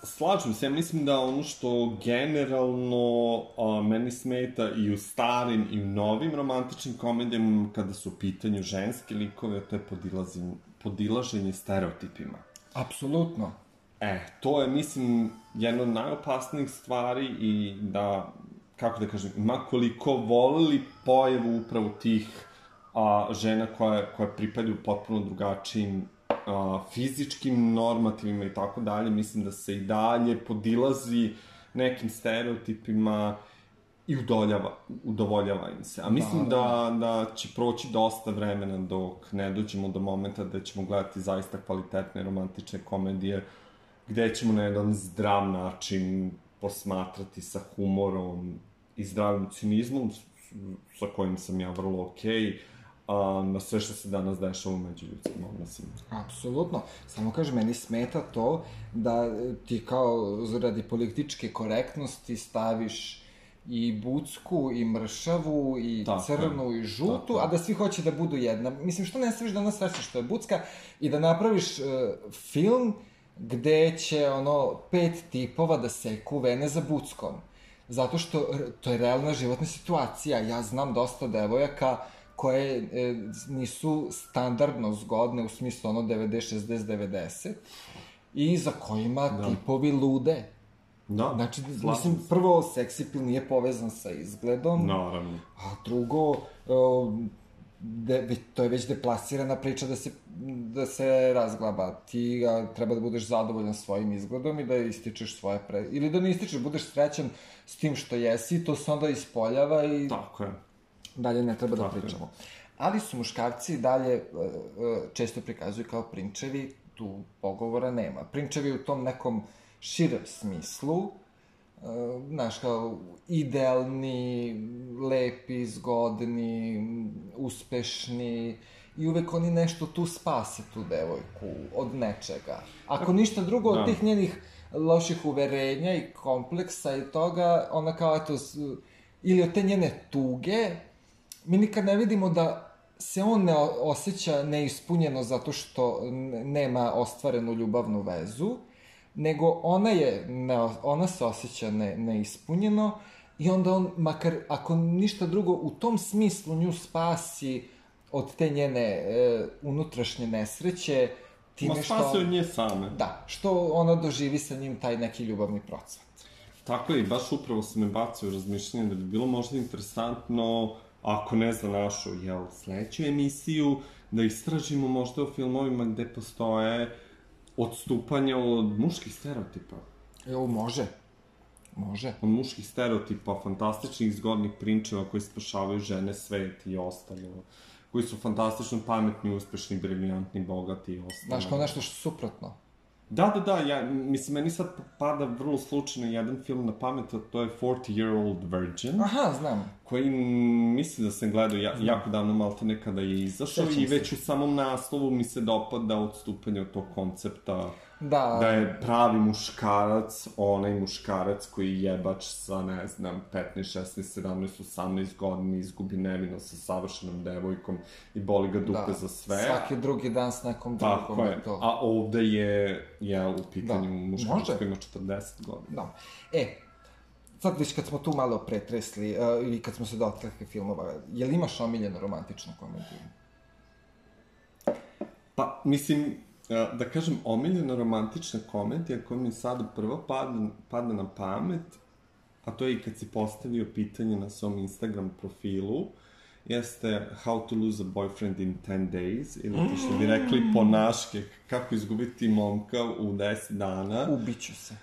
B: Slažem se, ja mislim da ono što generalno meni smeta i u starim i u novim romantičnim komedijama kada su u pitanju ženske likove, to je podilaženje stereotipima.
A: Apsolutno.
B: To je, mislim, jedna od najopasnijih stvari i da, kako da kažem, ma koliko volili pojavu upravo tih žena koje pripadaju potpuno drugačijim fizičkim normativima i tako dalje, mislim da se i dalje podilazi nekim stereotipima i udovoljava im se. A mislim da će proći dosta vremena dok ne dođemo do momenta da ćemo gledati zaista kvalitetne romantične komedije, gde ćemo na jedan zdrav način posmatrati sa humorom i zdravim cinizmom, sa kojim sam ja vrlo okej, na sve što se danas dešava među ljudskim odnosima.
A: Apsolutno. Samo kažem, meni smeta to da ti kao radi političke korektnosti staviš i bucku, i mršavu, i crnu, i žutu, a da svi hoće da budu jedna. Mislim, što ne staviš da ona sve što je bucka i da napraviš film gde će, 5 tipova da seku vene za buckom. Zato što to je realna životna situacija. Ja znam dosta devojaka koje nisu standardno zgodne, u smislu 90, 60, 90, i za kojima tipovi lude.
B: Da,
A: znači, mislim, prvo, seksi appeal nije povezan sa izgledom.
B: Naravno.
A: A drugo, to je već deplasirana priča da se razglaba. Ti treba da budeš zadovoljan svojim izgledom i da ističeš svoje ili da ne ističeš, budeš srećan s tim što jesi, to se onda ispoljava i...
B: Tako je.
A: Dalje ne treba da pričamo. Ali su muškarci dalje često prikazuju kao prinčevi, tu pogovora nema. Prinčevi u tom nekom širem smislu, znaš, kao idealni, lepi, zgodni, uspešni, i uvek oni nešto tu spase tu devojku od nečega. Ako ništa drugo od tih njenih loših uverenja i kompleksa i toga, ona kao, eto, ili od te njene tuge, mi nikad ne vidimo da se on ne osjeća neispunjeno zato što nema ostvarenu ljubavnu vezu, nego ona se osjeća neispunjeno i onda on, makar ako ništa drugo, u tom smislu nju spasi od te njene unutrašnje nesreće, time što...
B: Spasi od nje same.
A: Da, što ona doživi sa njim taj neki ljubavni procvat.
B: Tako je, i baš upravo se me bacio u razmišljanje da bi bilo možda interesantno, ako ne za našu, sledeću emisiju, da istražimo možda o filmovima gde postoje odstupanja od muških stereotipa.
A: Može.
B: Od muških stereotipa, fantastičnih, zgodnih prinčeva koji spašavaju žene, svet i ostalo. Koji su fantastično pametni, uspešni, briljantni, bogati i ostalo.
A: Znaš, kao nešto suprotno.
B: Da, mislim, meni sad pada vrlo slučajno jedan film na pamet, a to je 40-Year-Old Virgin.
A: Aha, znam.
B: Koji mislim da sam gledao jako davno, malte nekada je izašao, i već u samom naslovu mi se dopada odstupanje od tog koncepta da je pravi muškarac, onaj muškarac koji je jebač sa, ne znam, 15, 16, 17, 18 godina, izgubi nevino sa savršenom devojkom i boli ga dupe za sve.
A: Svaki drugi dan s nekom drugom.
B: Tako je, a ovde je u pitanju muškarac koji ima 40 godina.
A: Sad već kad smo tu malo pretresli i kad smo se dotakli filmova, je li imaš omiljenu romantičnu komediju?
B: Pa, mislim, da kažem, omiljena romantična komedija koja mi sada prvo pada na pamet, a to je i kad si postavio pitanje na svom Instagram profilu, jeste How to lose a boyfriend in 10 days, ili to što bi rekli po naške, kako izgubiti momka u 10 dana.
A: Ubiću se.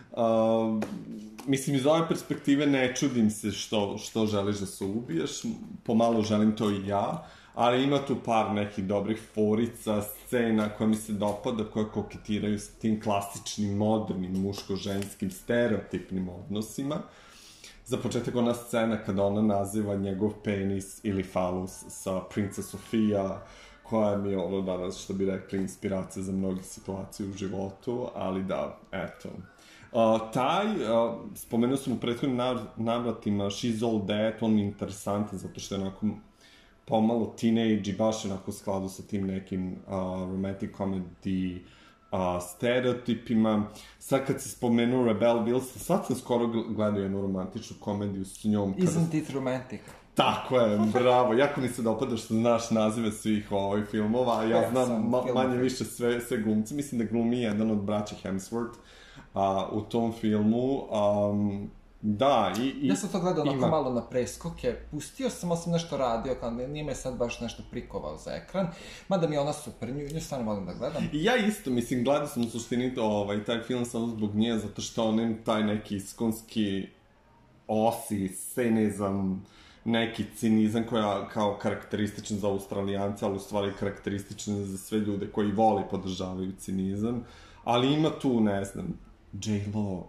B: Mislim, iz ove perspektive ne čudim se što želiš da se ubiješ, pomalo želim to i ja, ali ima tu par nekih dobrih forica, scena koja mi se dopada, koje koketiraju sa tim klasičnim, modernim, muško-ženskim, stereotipnim odnosima. Za početak ona scena kada ona naziva njegov penis ili falus sa Princess Sofia, koja mi je ono danas, što bi rekli, inspiracija za mnoge situacije u životu, ali da, eto. Spomenuo sam u prethodnim navratima She's All That, on mi je interesantan zato što je onako pomalo teenage i baš onako u skladu sa tim nekim romantic comedy stereotipima. Sad kad si spomenuo Rebel Wilson, sad sam skoro gledao jednu romantičnu komediju s njom.
A: Isn't it romantic?
B: Tako je, bravo. Jako mi se dopada što znaš nazive svih filmova, a ja znam manje više sve glumce. Mislim da glumi jedan od braća Hemsworth u tom filmu. Da,
A: ja sam to gledao onako malo na preskoke, pustio sam, ali sam nešto radio, kao nije me sad baš nešto prikovao za ekran, mada mi je ona super, nju stvarno volim da gledam.
B: I ja isto, mislim, gledao sam u suštini taj film samo zbog nje, zato što on ima taj neki iskonski cinizam, neki cinizam koja kao karakterističan za Australijance, ali u stvari karakterističan za sve ljude koji vole i podržavaju cinizam, ali ima tu, ne znam, J-Lo,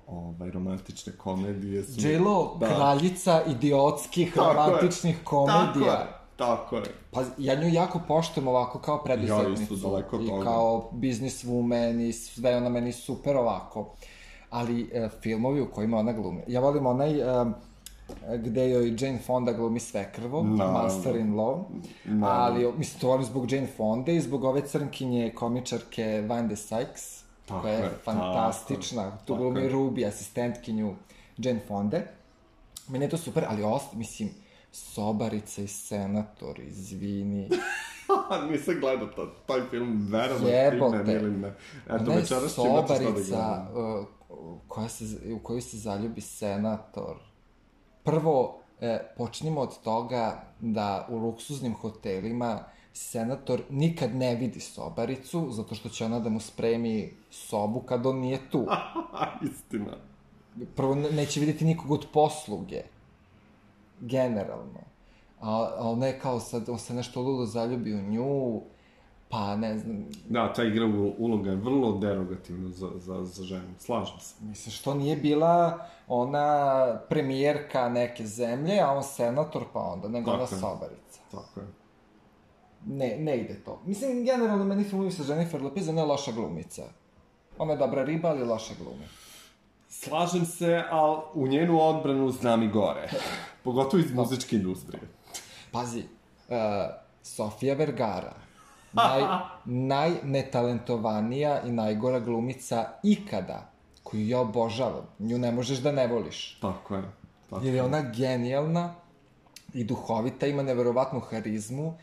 B: romantične komedije.
A: J-Lo, kraljica idiotskih romantičnih komedija.
B: Tako je.
A: Pa ja nju jako poštujem ovako kao preduzetnicu.
B: Ja isto daleko toga.
A: I kao businesswoman i sve ona meni super ovako. Ali filmovi u kojima ona glumi. Ja volim onaj gde joj Jane Fonda glumi svekrvo, Master-in-Law. Ali, mislim, to volim zbog Jane Fonda i zbog ove crnkinje komičarke Wanda Sykes, koja je fantastična. Tu glumi Ruby, asistentkinju Jane Fonde. Meni je to super, ali mislim, Sobarica i Senator, izvini.
B: Nisam gledao taj film, verovatno
A: Jebote.
B: ili ne.
A: Ona je Sobarica u koju se zaljubi Senator. Prvo, počnimo od toga da u luksuznim hotelima Senator nikad ne vidi sobaricu, zato što će ona da mu spremi sobu kad on nije tu.
B: Istina.
A: Prvo, neće vidjeti nikog od posluge. Generalno. A ona je kao sad, on se nešto ludo zaljubi u nju, pa ne znam...
B: Da, ta igra uloga je vrlo derogativna za ženu, slažem se.
A: Mislim, što nije bila ona premijerka neke zemlje, a on senator, pa onda, nego ona sobarica.
B: Tako je.
A: Ne ide to. Mislim, generalno meni filmovi sa Jennifer Lopez, ona je loša glumica. Ona je dobra riba, ali loša glumi.
B: Slažem se, ali u njenu odbranu znam i gore. Pogotovo iz muzičke industrije.
A: Pazi, Sofia Vergara, najnetalentovanija i najgora glumica ikada, koju ja obožavam. Nju ne možeš da ne voliš.
B: Tako je.
A: Jer je ona genijalna i duhovita, ima neverovatnu harizmu,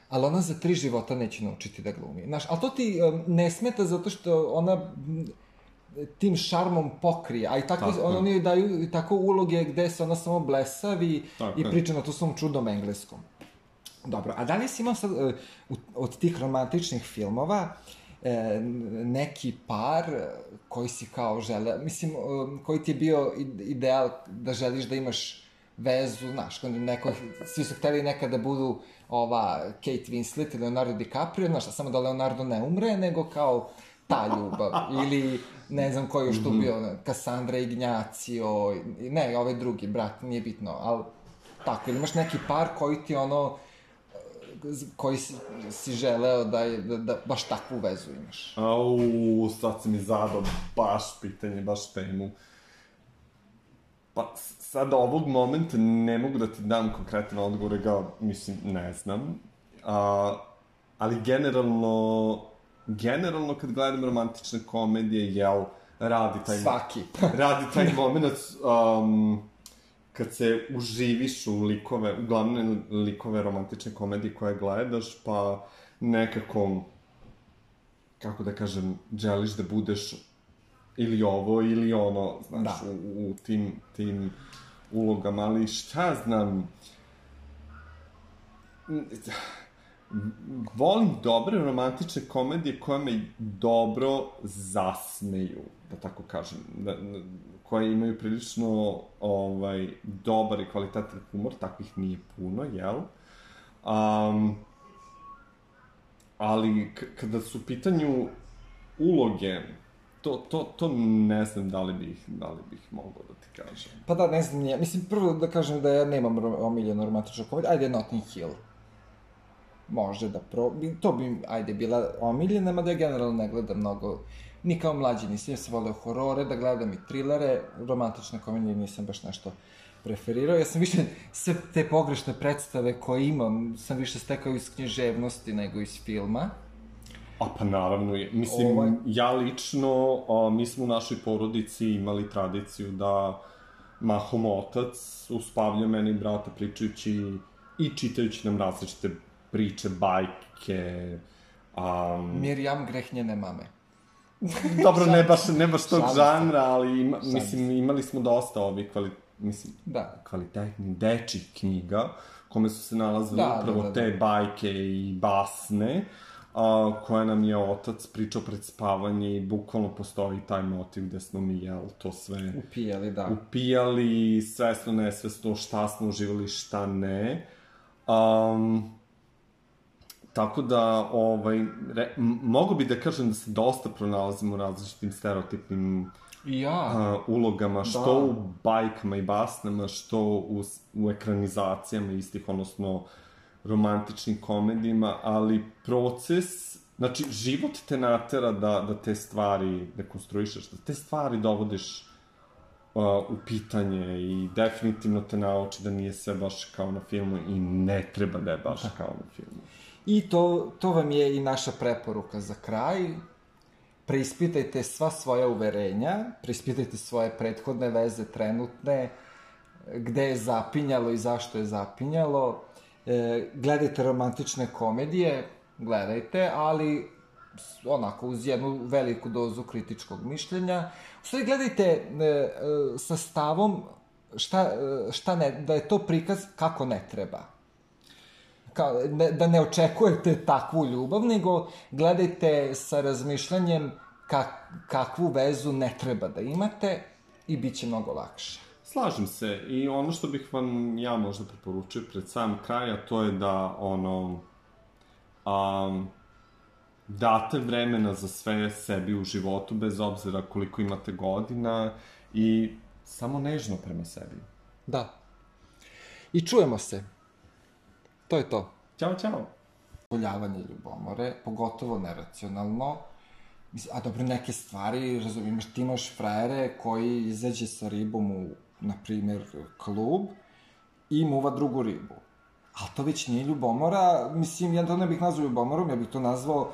A: ali ona za 3 života neće naučiti da glumi. Znaš, ali to ti ne smeta zato što ona tim šarmom pokrije, a i tako, oni joj daju tako uloge gde se ona samo blesavi i priča na to svom čudnom engleskom. Dobro, a da li si imao sad od tih romantičnih filmova neki par koji si kao žele, mislim, koji ti je bio ideal da želiš da imaš vezu, znaš, svi su hteli nekada da budu Kate Winslet i Leonardo DiCaprio, znaš, samo da Leonardo ne umre, nego kao ta ljubav, ili ne znam koji još tu bio, Cassandra Ignacio, ne, ovaj drugi brat, nije bitno, ali tako, ili imaš neki par koji ti koji si želeo da baš takvu vezu imaš?
B: Sad si mi zadao baš pitanje, baš temu. Pa, sad ovog momenta ne mogu da ti dam konkretan odgovor, mislim, ne znam. Ali generalno kad gledam romantične komedije, radi taj moment kad se uživiš u glavne likove romantične komedije koje gledaš, pa nekako kako da kažem, želiš da budeš ili ovo ili ono, znaš,
A: Da.
B: u tim ulogama, ali šta znam, volim dobre romantične komedije koje me dobro zasmeju, da tako kažem, koje imaju prilično dobar i kvalitetan humor, takvih nije puno, jel? Ali kada su u pitanju uloge, to ne znam da li bih mogao da ti kažem.
A: Pa da, ne znam, nije. Mislim, prvo da kažem da ja nemam omiljenu romantičnu komediju. Ajde, Notting Hill. Može da to bi, ajde, bila omiljena, mada ja generalno ne gledam mnogo, ni kao mlađi nisam, ja sam voleo horore, da gledam i trilere, romantične komedije nisam baš nešto preferirao. Ja sam više, sve te pogrešne predstave koje imam, sam više stekao iz književnosti nego iz filma.
B: A pa naravno, mislim, ja lično, mi smo u našoj porodici imali tradiciju da mahom otac uspavlja mene i brata pričajući i čitajući nam različite priče, bajke.
A: Mirjam, greh njene mame.
B: Dobro, ne baš tog žanra, ali mislim, imali smo dosta ovih kvalitetnih dečjih knjiga, kome su se nalazile upravo te bajke i basne, koje nam je otac pričao pred spavanje i bukvalno postoji taj motiv gde smo mi, to sve
A: upijali, da.
B: Upijali, svesno, nesvesno, šta smo uživali, šta ne. Tako da, mogu bi da kažem da se dosta pronalazimo u različitim stereotipnim ulogama, što u bajkama i basnama, što u ekranizacijama istih, odnosno romantičnim komedijima, ali proces, znači, život te natera da te stvari dekonstruišeš, da te stvari dovodiš u pitanje i definitivno te nauči da nije sve baš kao na filmu i ne treba da je baš kao na filmu.
A: I to vam je i naša preporuka za kraj. Preispitajte sva svoja uverenja, preispitajte svoje prethodne veze, trenutne, gde je zapinjalo i zašto je zapinjalo. Gledajte romantične komedije, gledajte, ali onako uz jednu veliku dozu kritičkog mišljenja. U stvari gledajte sa stavom da je to prikaz kako ne treba. Da ne očekujete takvu ljubav, nego gledajte sa razmišljanjem kakvu vezu ne treba da imate i bit će mnogo lakše.
B: Slažem se i ono što bih vam ja možda preporučio pred sam kraj, a to je da date vremena za sve sebi u životu, bez obzira koliko imate godina i samo nežno prema sebi.
A: Da. I čujemo se. To je to.
B: Ćao, čao.
A: Voljavanje ljubomore, pogotovo neracionalno. A dobro, neke stvari, razumijem, ti imaš frajere koji izađe sa ribom u, na primjer, klub i muva drugu ribu. Ali to već nije ljubomora, mislim, ja to ne bih nazvao ljubomorom, ja bih to nazvao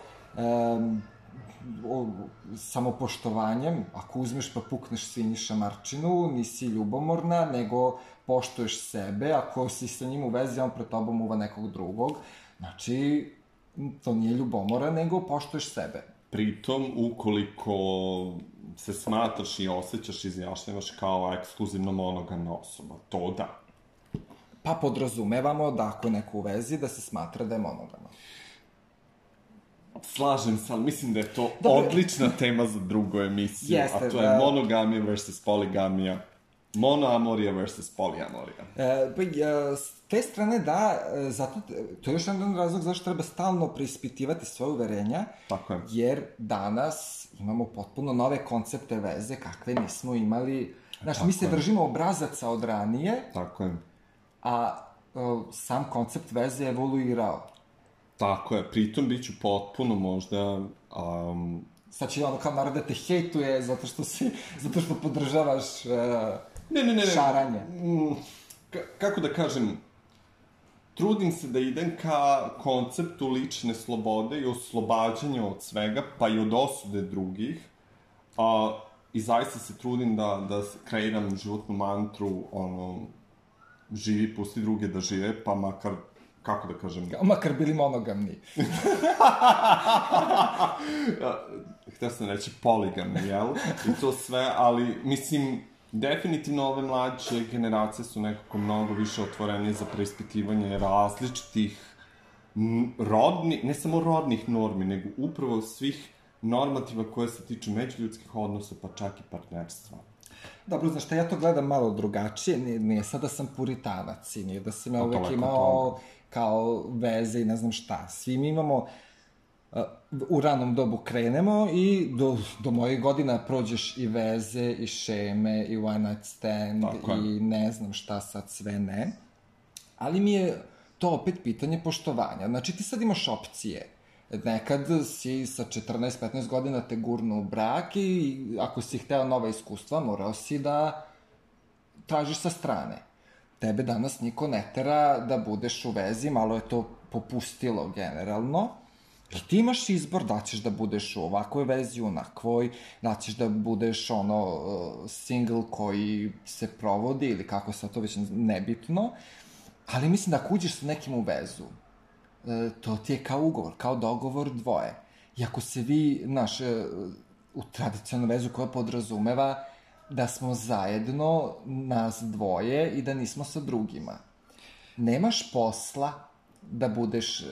A: samopoštovanjem. Ako uzmeš pa pukneš svinji šamarčinu, nisi ljubomorna, nego poštuješ sebe. Ako si sa njim u vezi, on pred tobom uva nekog drugog. Znači, to nije ljubomora, nego poštuješ sebe.
B: Pritom, ukoliko se smatraš i osjećaš, izjašnjavaš kao ekskluzivno monogamna osoba, to da.
A: Pa podrazumevamo da ako je neko u vezi, da se smatra da je monogama.
B: Slažem se, ali mislim da je to odlična tema za drugu emisiju, a to je monogamija versus poligamija. Monoamorija versus poliamorija.
A: S te strane da, zato, to je još jedan razlog zašto treba stalno preispitivati svoje uverenja,
B: tako je.
A: Jer danas imamo potpuno nove koncepte veze kakve nismo imali. Znaš, mi se držimo obrazaca od ranije,
B: tako je.
A: A sam koncept veze je evoluirao.
B: Tako je, pritom bit ću potpuno možda...
A: Sad će ono kao narod da te hejtuje zato što podržavaš šaranje.
B: Kako da kažem, trudim se da idem ka konceptu lične slobode i oslobađanja od svega, pa i od osude drugih. I zaista se trudim da kreiram životnu mantru, živi, pusti druge da žive, pa makar kako da kažem...
A: Makar bili monogamni.
B: Htio sam reći poligamni, jel? I to sve, ali, mislim, definitivno ove mlađe generacije su nekako mnogo više otvorene za preispitivanje različitih ne samo rodnih normi, nego upravo svih normativa koje se tiču međuljudskih odnosa, pa čak i partnerstva.
A: Dobro, znaš šta, ja to gledam malo drugačije, nije sad da sam puritanac i nije da sam ja uvek imao kao veze i ne znam šta. Svi mi imamo, u ranom dobu krenemo i do mojih godina prođeš i veze, i šeme, i one night stand, i ne znam šta sad sve ne. Ali mi je to opet pitanje poštovanja. Znači, ti sad imaš opcije. Nekad si sa 14-15 godina te gurnu u brak i ako si hteo nova iskustva, morao si da tražiš sa strane. Tebe danas niko ne tera da budeš u vezi, malo je to popustilo generalno. I ti imaš izbor da ćeš da budeš u ovakvoj vezi, onakvoj, da ćeš da budeš single koji se provodi ili kako sad to već nebitno. Ali mislim da ako uđeš sa nekim u vezu, to ti je kao ugovor, kao dogovor dvoje. I ako se vi, znaš, u tradicionalnu vezu koja podrazumeva da smo zajedno, nas dvoje i da nismo sa drugima. Nemaš posla da budeš,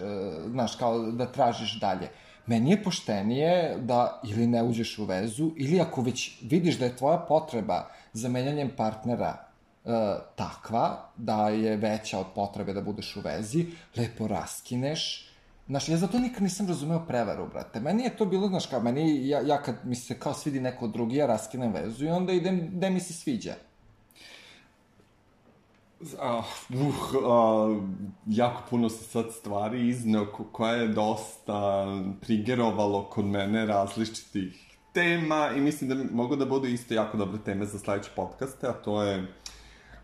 A: znaš, kao da tražiš dalje. Meni je poštenije da ili ne uđeš u vezu, ili ako već vidiš da je tvoja potreba za menjanjem partnera takva, da je veća od potrebe da budeš u vezi, lepo raskineš. Znaš, ja zato nikad nisam razumeo prevaru, brate. Meni je to bilo, znaš, kao meni, ja kad mi se kao svidi neko drugi, ja raskinem vezu i onda idem gde mi se sviđa.
B: Jako puno se sad stvari izneo koja je dosta trigerovalo kod mene različitih tema i mislim da mogu da budu isto jako dobre teme za sledeće podcaste, a to je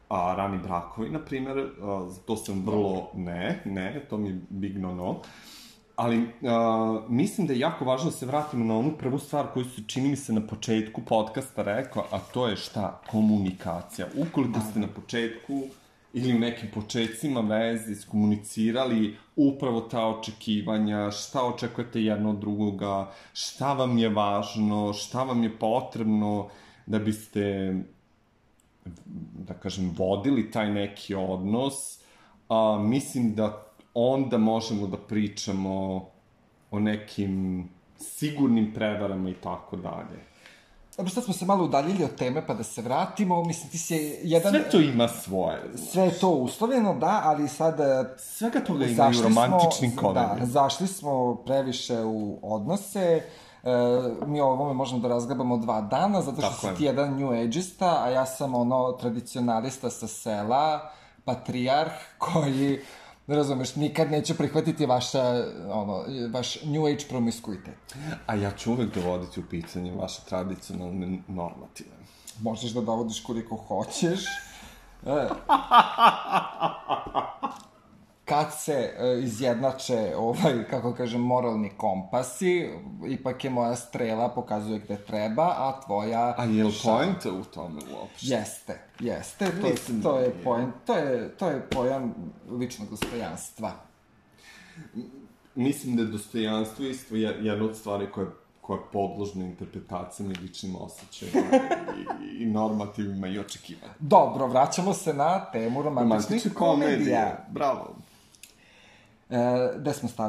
B: rani brakovi, na primjer, to sam vrlo to mi je big no. Ali mislim da je jako važno da se vratimo na onu prvu stvar koju su, čini mi se, na početku podcasta rekao, a to je šta? Komunikacija. Ukoliko ste na početku ili u nekim početcima veze iskomunicirali upravo ta očekivanja, šta očekujete jedno od drugoga, šta vam je važno, šta vam je potrebno da biste, da kažem, vodili taj neki odnos, mislim da onda možemo da pričamo o nekim sigurnim prevarama i tako dalje.
A: Dobro, sad smo se malo udaljili od teme, pa da se vratimo. Mislim, ti si jedan...
B: Sve to ima svoje.
A: Sve je to uslovljeno, da, ali sad...
B: Svega toga ima i u romantičnim komedijama.
A: Da, zašli smo previše u odnose. Mi o ovome možemo da razglabamo 2 dana, zato što si ti jedan new age-ista, a ja sam tradicionalista sa sela, patrijarh, koji... razumeš, nikad neće prihvatiti vaš new age promiskuitet.
B: A ja ću uvek dovoditi u pitanje vaše tradicionalne normative.
A: Možeš da dovodiš koliko hoćeš. Kad se izjednače, kako kažem, moralni kompasi, ipak je moja strela pokazuje gde treba, a tvoja...
B: A je li poenta u tome uopšte?
A: Jeste. To je pojam ličnog dostojanstva.
B: Mislim da je dostojanstvo isto jedna od stvari koja je podložna interpretacijama i ličnim osjećajima i normativima i očekivanja.
A: Dobro, vraćamo se na temu romantičnih komedija.
B: Bravo.
A: Gde smo stali?